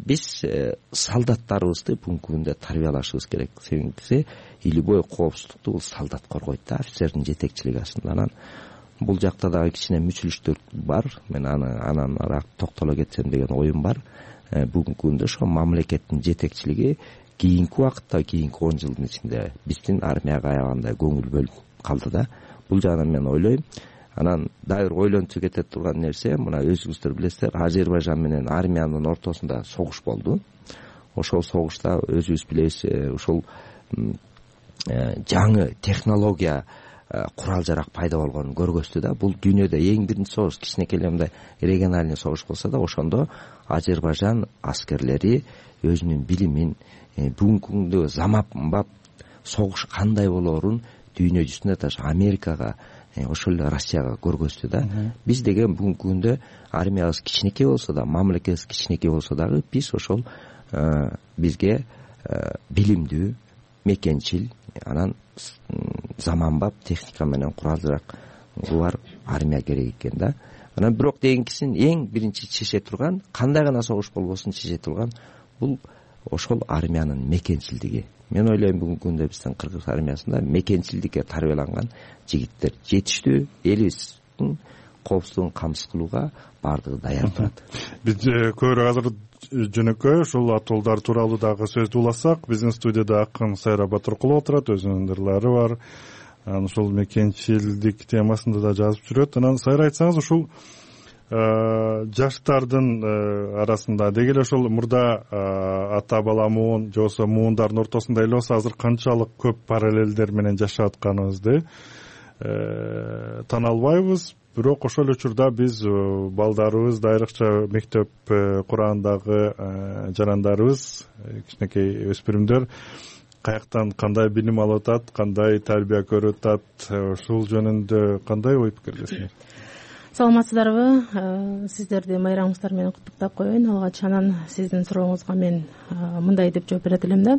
биз солдаттарыбызды бүгүнкү күндө тарбиялашыбыз керек. Себеби илибой коопсуздукту бул солдат коргойт да, офицердин жетекчилиги астында. Анан бул жакта дагы кичине мүчүлүштөр бар. Мен анан араак токтоло кетсем деген оюм бар. Бүгүнкү күндө ошо мамлекеттин жетекчилиги кийинки убакытта, кийинки он жылдын ичинде биздин армияга аябагандай көңүл бөлүп калды да. Бул жагынан мен ойлойм. Анан дагы бир ойлончу кете турган нерсе, мына өзүңүздөр билесиздер, Азербайжан менен армиянын ортосунда согуш болду. Ошол согушта өзүбүз билебиз, ошол жаңы технология курал жарак пайда болгонун көргөздү да. Бул дүйнөдө эң биринчи согуш, кичинекей эле региональный согуш болсо да, ошондо Азербайжан аскерлери өзүнүн билимин, бүгүнкү күндө заманбап согуш кандай болоорун дүйнө жүзүнө даже Америкага, ошол эле Россияга көргөздү да. Биз деген бүгүнкү күндө армиябыз кичинекей болсо да, мамлекетибиз кичинекей болсо дагы биз ошол бизге билимдүү, мекенчил, анан заманбап техника менен курал жарак бар армия керек экен да. Анан бирок дейинкисин эң биринчи чече турган, кандай гана согуш болбосун чече турган бул ошол армиянын мекенчилдиги. Мен ойлойм бүгүнкү күндө биздин кыргыз армиясында мекенчилдикке тарбияланган жигиттер жетиштүү, элибиздин коопсуздугун камсыз кылууга баардыгы даяр турат. Биз көбүрөөк азыр жөнөкөй ушул атуулдар тууралуу дагы сөздү уласак, биздин студияда акын Сайра Батыркулова отурат, өзүнүн ырлары бар. Анан ушул мекенчилдик темасында да жазып жүрөт. Анан Сайра, айтсаңыз, ушул жаштардын арасында деги эле ошол мурда ата бала муун же болбосо муундардын ортосунда эле болсо азыр канчалык көп параллелдер менен жашап атканыбызды тана албайбыз. бирок ошол эле учурда биз балдарыбызды айрыкча мектеп кургандагы жарандарыбыз, кичинекей өспүрүмдөр каяктан кандай билим алып атат, кандай тарбия көрүп атат, ушул жөнүндө кандай ой пикирдесиңер? Саламатсыздарбы? Сиздерди майрамыңыздар менен куттуктап коеюн. Алгач анан сиздин сурооңузга мен мындай деп жооп берет элем да.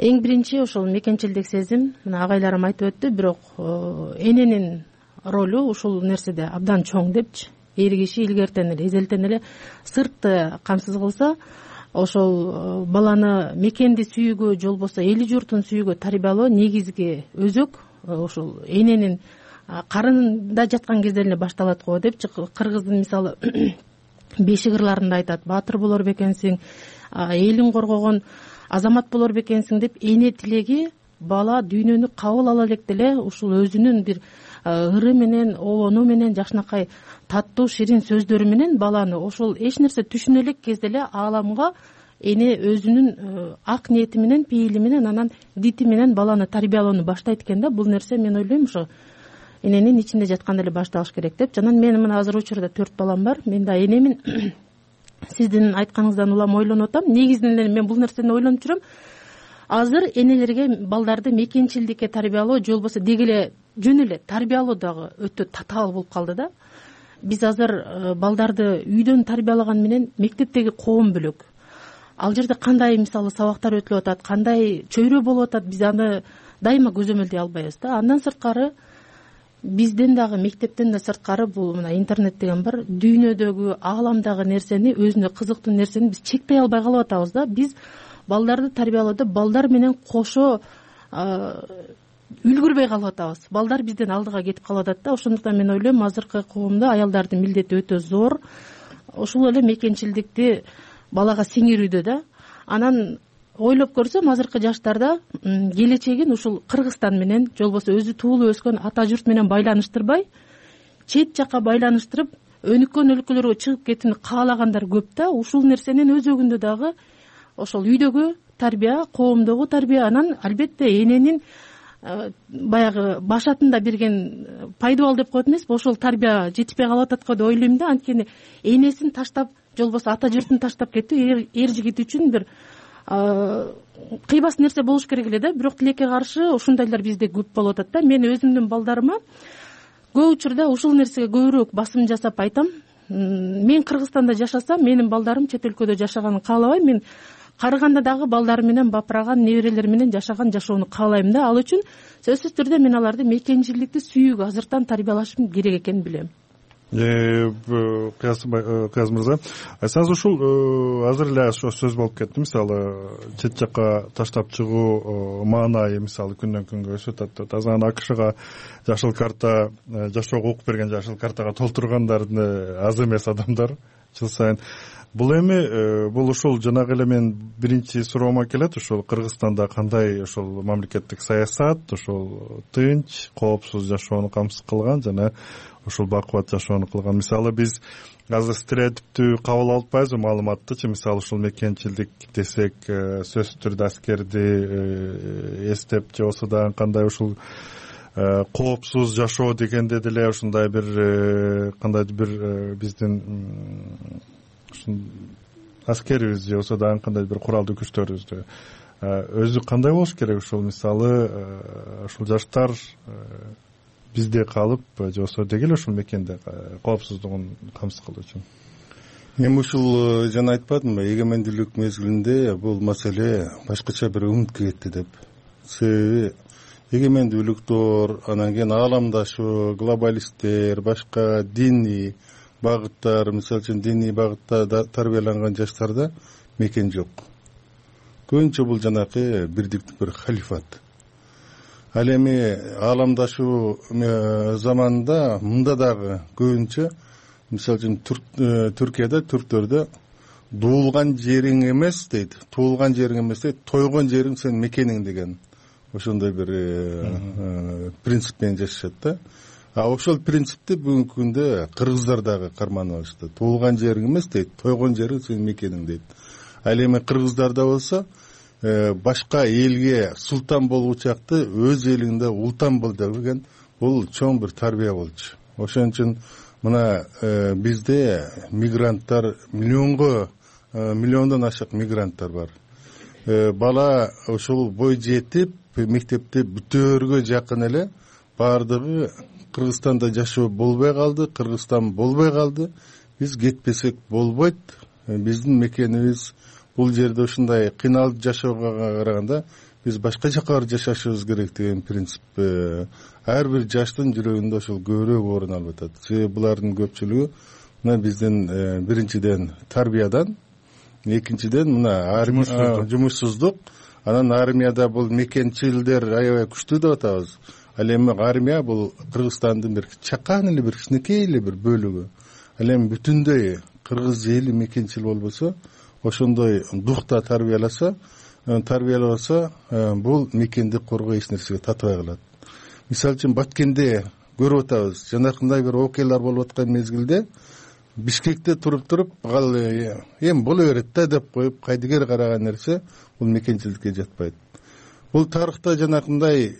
Эң биринчи ошол мекенчилдик сезим, мына агайларым айтып өттү, бирок эненин ролу ушул нерседе абдан чоң депчи. Эр киши илгертен эле, эзелтен эле сыртты камсыз кылса, ошол баланы мекенди сүйүүгө, же болбосо эли журтун сүйүүгө тарбиялоо негизги өзөк ошол эненин карынында жаткан кезде эле башталат го депчи. Кыргыздын мисалы бешик ырларында айтат: баатыр болор бекенсиң, элин коргогон азамат болор бекенсиң деп. Эне тилеги бала дүйнөнү кабыл ала электе эле ушул өзүнүн бир ыры менен, обону менен, жакшынакай таттуу ширин сөздөрү менен баланы ошол эч нерсе түшүнө элек кезде эле ааламга эне өзүнүн ак ниети менен, пейили менен, анан дити менен баланы тарбиялоону баштайт экен да. Бул нерсе мен ойлойм ошо эненин ичинде жатканда эле башталыш керек деп. Анан менин мына азыр учурда төрт балам бар. Мен да энемин. Сиздин айтканыңыздан улам ойлонуп атам. Негизинен эле мен бул нерсени ойлонуп жүрөм. Азыр энелерге балдарды мекенчилдикке тарбиялоо, же болбосо деги эле жөн эле тарбиялоо дагы өтө татаал болуп калды да. Биз азыр балдарды үйдөн тарбиялаган менен мектептеги коом бөлөк. Ал жерде кандай мисалы сабактар өтүлүп атат, кандай чөйрө болуп атат, биз аны дайыма көзөмөлдөй албайбыз да. Андан сырткары бизден дагы, мектептен да сырткары бул мына интернет деген бар. Дүйнөдөгү, ааламдагы нерсени, өзүнө кызыктуу нерсени биз чектей албай калып атабыз да. Биз балдарды тарбиялоодо балдар менен кошо үлгүрбөй калып атабыз. Балдар бизден алдыга кетип калып атат да. Ошондуктан мен ойлойм, азыркы коомдо аялдардын милдети өтө зор. Ошол эле мекенчилдикти балага сиңирүүдө да. Анан ойлоп көрсөм, азыркы жаштарда келечегин ушул Кыргызстан менен, же болбосо өзү туулуп өскөн ата журт менен байланыштырбай, чет жакка байланыштырып, өнүккөн өлкөлөргө чыгып кетүүнү каалагандар көп да. Ушул нерсенин өзөгүндө дагы ошол үйдөгү тарбия, коомдогу тарбия, анан албетте эненин баягы башатында берген пайдабал деп коет эмеспи, ошол тарбия жетишпей калып атат го деп ойлойм да. Анткени энесин таштап, же болбосо ата журтун таштап кетүү эр жигит үчүн бир кыйбас нерсе болуш керек эле да. Бирок тилекке каршы ушундайлар бизде көп болуп атат да. Мен өзүмдүн балдарыма көп учурда ушул нерсеге көбүрөөк басым жасап айтам. Мен Кыргызстанда жашасам, менин балдарым чет өлкөдө жашаганын каалабайм. Мен Карыганда дагы балдары менен, бапыраган неберелер менен жашаган жашоону каалайм да. Ал үчүн сөзсүз түрдө мен аларды мекенчилдикти сүйүүгө азыртан тарбиялашым керек экенин билем. Кыяз мырза, айтсаңыз, ушул азыр эле ошо сөз болуп кетти. Мисалы, чет жакка таштап чыгуу маанайы мисалы күндөн күнгө өсүп атат. Азыр АКШга жашыл карта, жашоого укук берген жашыл картага толтургандар аз эмес адамдар жыл сайын. Бул эми бул ушул жанагы эле мен биринчи суроомо келет. Ушул Кыргызстанда кандай ошол мамлекеттик саясат, ошол тынч, коопсуз жашоону камсыз кылган жана ушул бакубат жашоону кылган. Мисалы биз азыр стереотиптүү кабыл алып атпайбызбы маалыматтычы? Мисалы ушул мекенчилдик десек, сөзсүз түрдө аскерди эстеп, же болбосо дагы кандай ушул коопсуз жашоо дегенде деле ушундай бир кандайдыр бир биздин аскерибиз же болбосо дагы кандайдыр бир куралдуу күчтөрүбүздү өзү кандай болуш керек? Ушул мисалы ушул жаштар бизде калып, же болбосо деги эле ушул мекенде коопсуздугун камсыз кылуу үчүн. Эми ушул жана айтпадымбы, эгемендүүлүк мезгилинде бул маселе башкача бир үмүткө кетти деп. Себеби эгемендүүлүктөр, анан кийин ааламдашуу, глобалисттер, башка диний багыттар, мисалы үчүн диний багытта тарбияланган жаштарда мекен жок. Көбүнчө бул жанакы бирдиктик бир халифат. Ал эми ааламдашуу заманында мында дагы көбүнчө, мисалы үчүн Түркияда, түрктөрдө дуулган жериң эмес дейт, туулган жериң эмес дейт, тойгон жериң сенин мекениң деген ошондой бир принцип менен жашашат да. А ошол принципти бүгүнкү күндө кыргыздар дагы карманып алышты. Туулган жериң эмес дейт, тойгон жериң сенин мекениң дейт. Ал эми кыргыздарда болсо башка элге султан болуучакты өз элиңде ултан бол деген бул чоң бир тарбия болчу. ошон үчүн мына бизде мигранттар миллионго миллиондон ашык мигранттар бар. Бала ошол бой жетип мектепти бүтөөргө жакын эле баардыгы Кыргызстанда жашоо болбой калды, Кыргызстан болбой калды. Биз кетпесек болбойт. Биздин мекенибиз бул жерде ушундай кыйналып жашоого караганда биз башка жака барып жашашыбыз керек деген принцип ар бир жаштын жүрөгүндө ошол көбүрөөк орун алып атат. Себеби булардын көпчүлүгү мына биздин биринчиден тарбиядан, экинчиден мына жумушсуздук, анан армияда бул мекенчилдер аябай күчтүү деп атабыз. Ал эми армия бул Кыргызстандын бир чакан эле бир кичинекей эле бир бөлүгү. Ал эми бүтүндөй кыргыз эли мекенчил болбосо, ошондой духта тарбияласа, тарбияласа, бул мекенди коргоо эч нерсеге татыбай калат. Мисалы үчүн Баткенде көрүп атабыз, жанакындай бир окуялар болуп аткан мезгилде Бишкекте туруп туруп ал эми боло берет да деп коюп кайдыгер караган нерсе бул мекенчилдикке жатпайт. Бул тарыхта жанакындай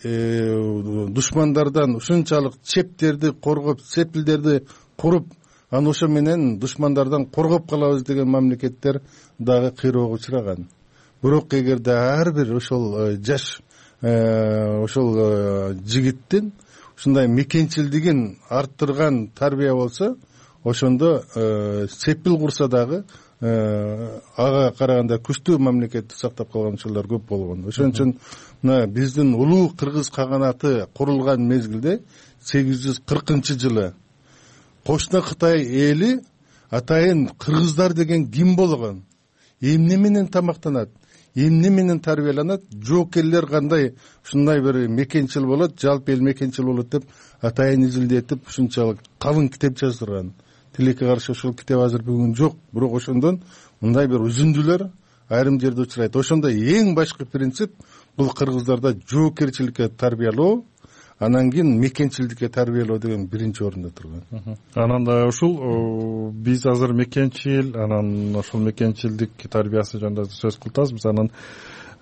душмандардан ушунчалык чептерди коргоп, сепилдерди куруп, анан ошо менен душмандардан коргоп калабыз деген мамлекеттер дагы кыйроого учураган. Бирок эгерде ар бир ошол жаш ошол жигиттин ушундай мекенчилдигин арттырган тарбия болсо, ошондо сепил курса дагы ага караганда күчтүү мамлекетти сактап калган учурлар көп болгон. Ошон үчүн мына биздин улуу кыргыз каганаты курулган мезгилде сегиз жүз кыркынчы жылы кошуна Кытай эли атайын кыргыздар деген ким болгон, эмне менен тамактанат, эмне менен тарбияланат, жоокерлер кандай ушундай бир мекенчил болот, жалпы эл мекенчил болот деп атайын изилдетип ушунчалык калың китеп жаздырган. Тилекке каршы ошол китеп азыр бүгүн жок, бирок ошондон мындай бир үзүндүлөр айрым жерде учурайт. Ошондо эң башкы принцип бул кыргыздарда жоокерчиликке тарбиялоо, анан кийин мекенчилдикке тарбиялоо деген биринчи орунда турган. Анан да ушул биз азыр мекенчил, анан ошол мекенчилдик тарбиясы жөнүндө сөз кылтабыз. Анан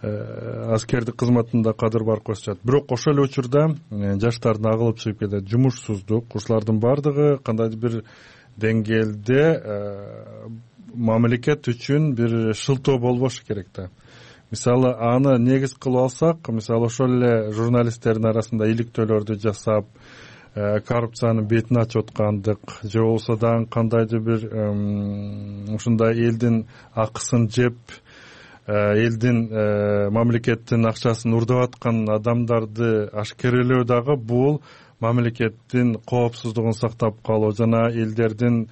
аскердик кызматында кадыр бар кошчат. Бирок ошол эле учурда жаштардын агылып чыгып келет, жумушсуздук, ушулардын баардыгы кандайдыр бир деңгээлде мамлекет үчүн бир шылтоо болбошу керек да. Мисалы, аны негиз кылып алсак, мисалы ошол эле журналисттердин арасында иликтөөлөрдү жасап, коррупциянын бетин ачып аткандык, же болбосо дагы кандайдыр бир ушундай элдин акысын жеп, элдин мамлекеттин акчасын урдап аткан адамдарды ашкерелөө дагы бул мамлекеттин коопсуздугун сактап калуу жана элдердин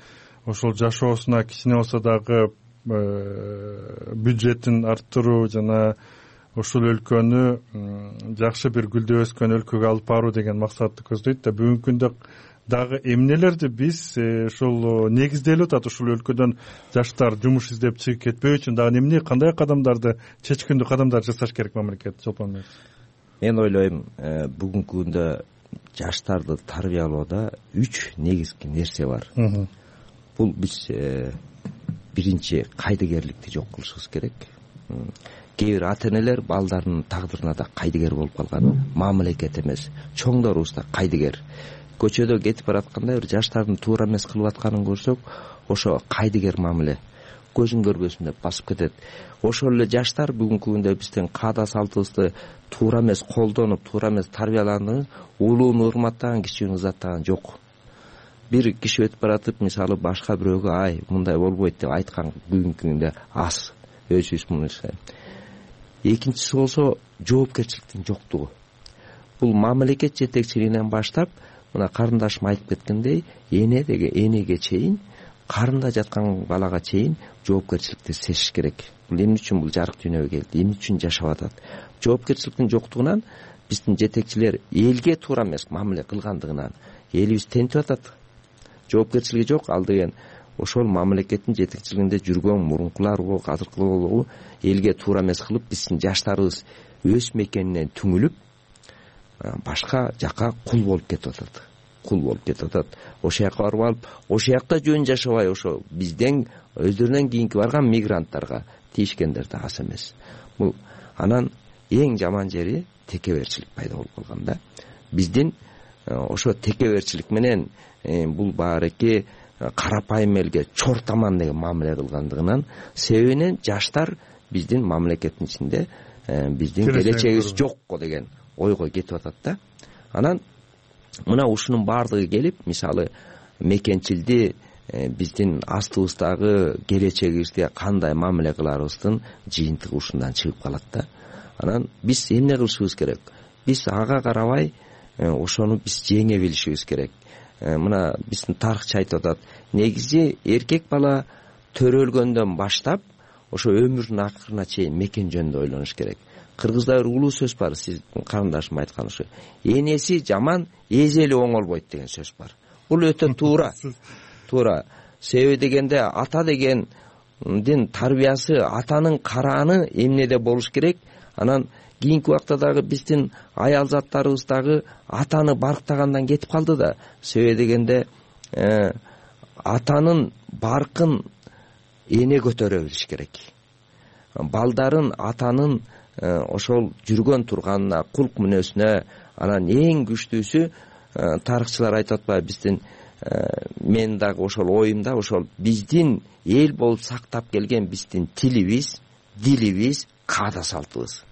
ошол жашоосуна кичине болсо дагы бюджетин арттыруу жана ошол өлкөнү жакшы бир гүлдөп өскөн өлкөгө алып баруу деген максатты көздөйт да. Бүгүнкү күндө дагы эмнелерди биз ошол негизделип атат, ушул өлкөдөн жаштар жумуш издеп чыгып кетпөө үчүн дагы эмне, кандай кадамдарды, чечкиндүү кадамдар жасаш керек мамлекет? Чолпон мен ойлойм, бүгүнкү күндө жаштарды тарбиялоодо үч негизги нерсе бар. Бул биз биринчи кайдыгерликти жок кылышыбыз керек. Кээ бир ата энелер балдарынын тагдырына да кайдыгер болуп калган, мамлекет эмес, чоңдорубуз да кайдыгер. Көчөдө кетип баратканда бир жаштардын туура эмес кылып атканын көрсөк, ошо кайдыгер мамиле, көзүн көрбөсүн деп басып кетет. Ошол эле жаштар бүгүнкү күндө биздин каада салтыбызды туура эмес колдонуп, туура эмес тарбияланып, улууну урматтаган, кичүүнү узаттаган жок. Бир киши өтүп баратып, мисалы башка бирөөгө ай мындай болбойт деп айткан бүгүнкү күндө аз, өзүбүз муну. Экинчиси болсо жоопкерчиликтин жоктугу. Бул мамлекет жетекчилигинен баштап, мына карындашым айтып кеткендей, эне деге энеге чейин, карында жаткан балага чейин жоопкерчиликти сезиш керек. Бул эмне үчүн бул жарык дүйнөгө келди, эмне үчүн жашап атат? Жоопкерчиликтин жоктугунан биздин жетекчилер элге туура эмес мамиле кылгандыгынан элибиз тентип атат. Жоопкерчилиги жок, ал деген ошол мамлекеттин жетекчилигинде жүргөн мурункулар болобу, азыркылар болобу, элге туура эмес кылып, биздин жаштарыбыз өз мекенинен түңүлүп, башка жака кул болуп кетип атат. Кул болуп кетип атат. Ошол жака барып алып, ошол жакта жөн жашабай, ошо бизден өздөрүнөн кийинки барган мигранттарга тийишкендер да аз эмес. Бул анан эң жаман жери текеберчилик пайда болуп калган да. Биздин ошо текеберчилик менен бул баарыки карапайым элге чортаман деген мамиле кылгандыгынан себебинен жаштар биздин мамлекеттин ичинде биздин келечегибиз жокко деген ойго кетип атат да. Анан мына ушунун баардыгы келип, мисалы мекенчилди биздин астыбыздагы келечегибизге кандай мамиле кыларыбыздын жыйынтыгы ушундан чыгып калат да. Анан биз эмне кылышыбыз керек? Биз ага карабай ошону биз жеңе билишибиз керек. Мына биздин тарыхчы айтып атат, негизи эркек бала төрөлгөндөн баштап ошо өмүрүнүн акырына чейин мекен жөнүндө ойлонуш керек. Кыргызда бир улуу сөз бар, сиздин карындашым айткан ушу. Энеси жаман, эжели оңолбойт деген сөз бар. Бул өтө туура. Туура. Себеби дегенде ата дегендин тарбиясы, атанын карааны эмнеде болуш керек. Анан кийинки убакта дагы биздин аял заттарыбыз дагы атаны барктагандан кетип калды да. Себеби дегенде атанын баркын эне көтөрө билиш керек. Балдарын атанын ошол жүргөн турганына, кулк мүнөзүнө, анан эң күчтүүсү тарыхчылар айтып атпайбы, биздин мен дагы ошол оюмда ошол биздин эл болуп сактап келген биздин тилибиз, дилибиз, каада салтыбыз.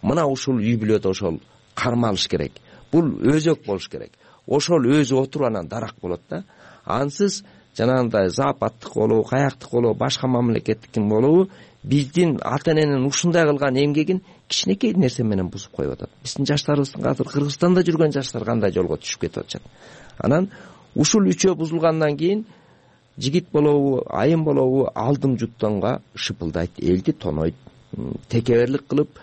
Мына ушул үй бүлөдө ошол кармалыш керек. Бул өзөк болуш керек. Ошол өзү отуруп анан дарак болот да. Ансыз жанагындай западтык болобу, каяктык болобу, башка мамлекеттикин болобу, биздин ата эненин ушундай кылган эмгегин кичинекей нерсе менен бузуп коюп атат. Биздин жаштарыбыздын азыр Кыргызстанда жүргөн жаштар кандай жолго түшүп кетип атышат. Анан ушул үчөө бузулгандан кийин жигит болобу, айым болобу алдым жуттонго шыпылдайт, элди тонойт, текеберлик кылып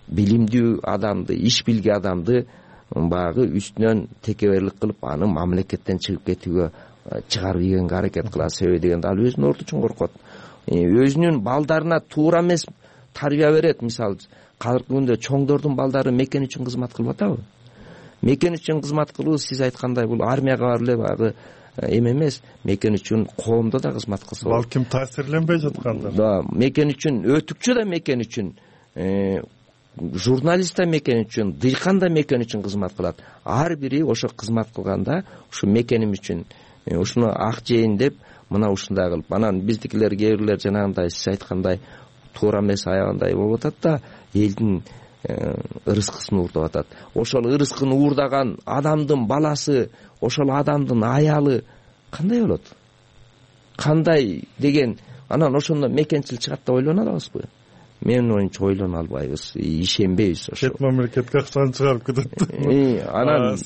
билимдүү адамды, иш билген адамды багы үстүнөн текеберлик кылып аны мамлекеттен чыгып кетүүгө чыгарып ийгенге аракет кылат. Себеби дегенде ал өзүнүн орду үчүн коркот. Өзүнүн балдарына туура эмес тарбия берет. Мисалы, казыркы күндө чоңдордун балдары мекен үчүн кызмат кылып атабы? Мекен үчүн кызмат кылуу, сиз айткандай, бул армияга барып эле багы эме эмес, мекен үчүн коомдо да кызмат кылса. Балким таасирленбей жаткандар. Да, мекен үчүн, өтүкчү да мекен үчүн, журналист да мекен үчүн, дыйкан да мекен үчүн кызмат кылат. Ар бири ошо кызмат кылганда, ушу мекеним үчүн, ушуну ак жейин деп, мына ушундай кылып, анан биздикилер кээ бирлер жанагындай сиз айткандай туура эмес аягандай болуп атат да, элдин ырыскысын уурдап атат. Ошол ырыскын уурдаган адамдын баласы, ошол адамдын аялы кандай болот? Кандай деген, анан ошондо мекенчил чыгат деп ойлоно алабызбы? Менин оюмча ойлоно албайбыз, ишенбейбиз ошо. Чет мамлекетке акчаны чыгарып кетет. Анан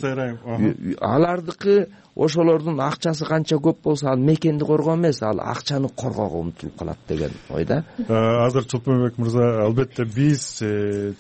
алардыкы ошолордун акчасы канча көп болсо, ал мекенди коргоо эмес, ал акчаны коргоого умтулуп калат деген ойда. Азыр Чолпонбек мырза, албетте биз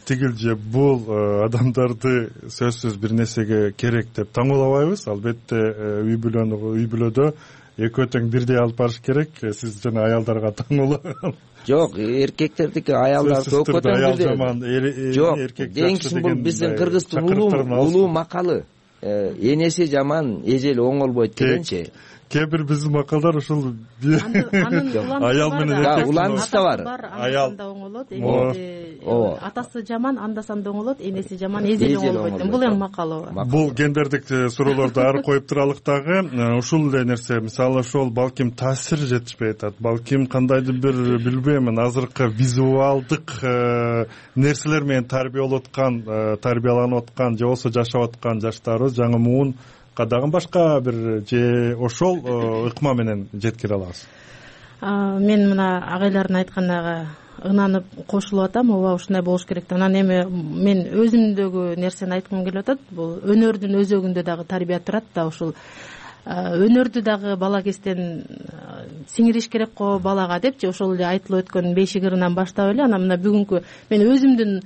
тигил же бул адамдарды сөзсүз бир нерсеге керек деп таңуулабайбыз. Албетте үй бүлөнү үй бүлөдө экөө тең бирдей алып барыш керек. Сиз жана аялдарга таңуулап. Жок, эркектердики аялдар экөө тең бирдей. Жок, деңкисин бул биздин кыргыздын улуу макалы. Энеси жаман, эжели оңолбойт дегенчи. Кээ бир биздин макалдар ушул аял менен эркек уландыш да бар. Аял оңолот, энеси атасы жаман, андасанда оңолот, энеси жаман, эжели оңолбойт. Бул эң макалы бар. Бул гендердик суроолорду ары коюп туралык дагы. Ушул эле нерсе, мисалы ошол балким таасир жетишпей атат. Балким кандайдыр бир билбейм, азыркы визуалдык нерселер менен тарбияланып аткан, тарбияланып аткан же болбосо жашап аткан жаштарыбыз жаңы муун кадагы башка бир же ошол ыкма менен жеткире алабыз. Мен мына агайлардын айтканына ынанып кошулуп атам. Ооба, ушундай болуш керек. Анан эми мен өзүмдөгү нерсени айткым келип атат. Бул өнөрдүн өзөгүндө дагы тарбия турат да, ушул өнөрдү дагы бала кезден сиңириш керек го балага депчи, ошол эле айтылып өткөн бешик ырынан баштап эле. Анан мына бүгүнкү мен өзүмдүн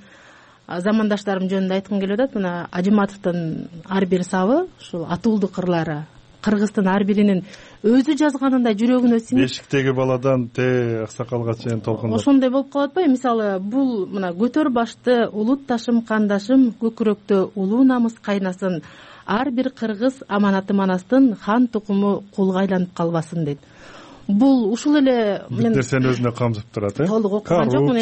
замандаштарым жөнүндө айткым келип атат. Мына Ажыматовдун ар бир сабы, ушул атуулдук ырлары кыргыздын ар биринин өзү жазганындай жүрөгүнө сиңип, бешиктеги баладан те аксакалга чейин толкундап ошондой болуп калып атпайбы? Мисалы, бул мына көтөр башты улут ташым кандашым, көкүрөктө улуу намыс кайнасын, ар бир кыргыз аманаты манастын, хан тукуму кулга айланып калбасын дейт. Бул ушул эле мен нерсени өзүнө камтып турат, э? Толук окуган жокмун,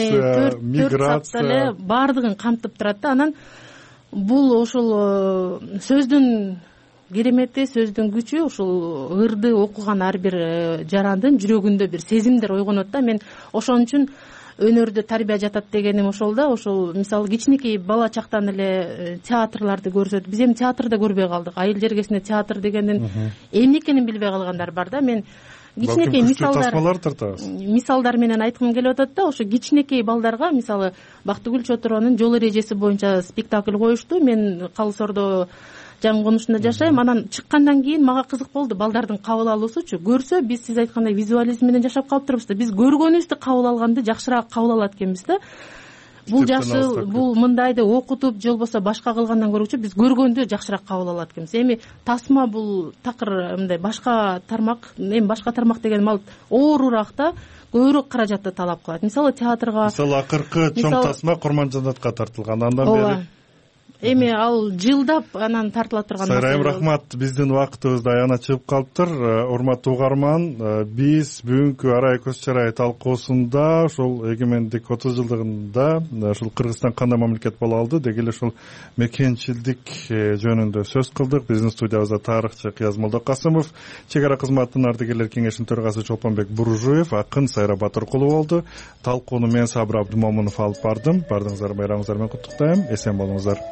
төрт саатта эле баардыгын камтып турат да. Анан бул ошол сөздүн керемети, сөздүн күчү, ушул ырды окуган ар бир жарандын жүрөгүндө бир сезимдер ойгонот да. Мен ошон үчүн өнөрдө тарбия жатат дегеним ошол да. Ошол мисалы кичинекей бала чактан эле театрларды көрсөтүп, биз эми театрда көрбөй калдык. Айыл жергесинде театр дегендин эмне экенин билбей калгандар бар да. Мен кичинекей мисалдар тасмалар тартабыз. Мисалдар менен айткым келип атат да. Ошо кичинекей балдарга мисалы Бактыгүл Чотуронун жол эрежеси боюнча спектакль коюшту. Мен Калысордо жаңы конушунда жашайм. Анан чыккандан кийин мага кызык болду балдардын кабыл алуусучу. Көрсө биз сиз айткандай визуализм менен жашап калып турбуз да. Биз көргөнүбүздү кабыл алганды жакшыраак кабыл алат экенбиз да. Бул жакшы, бул мындайды окутуп же болбосо башка кылгандан көргүчө биз көргөндү жакшыраак кабыл алат экенбиз. Эми тасма бул такыр мындай башка тармак, эми башка тармак дегеним ал оорураак да, көбүрөөк каражатты талап кылат. Мисалы театрга, мисалы акыркы чоң тасма Курманжанатка тартылган, андан бери эми ал жылдап анан тартыла турган. Сайрайым рахмат, биздин убактыбыз да аягына чыгып калыптыр. Урматтуу угарман, биз бүгүнкү арай көз чарай талкуусунда ошол эгемендик отуз жылдыгында ушул Кыргызстан кандай мамлекет боло алды деги эле ушул мекенчилдик жөнүндө сөз кылдык. Биздин студиябызда тарыхчы Кыяз Молдокасымов, чек ара кызматынын ардыгерлер кеңешинин төрагасы Чолпонбек Буружуев, акын Сайра Батыркулу болду. Талкууну мен Сабыр Абдымомунов алып бардым. Бардыгыңыздар байрамыңыздар менен куттуктайм. Эсен болуңуздар.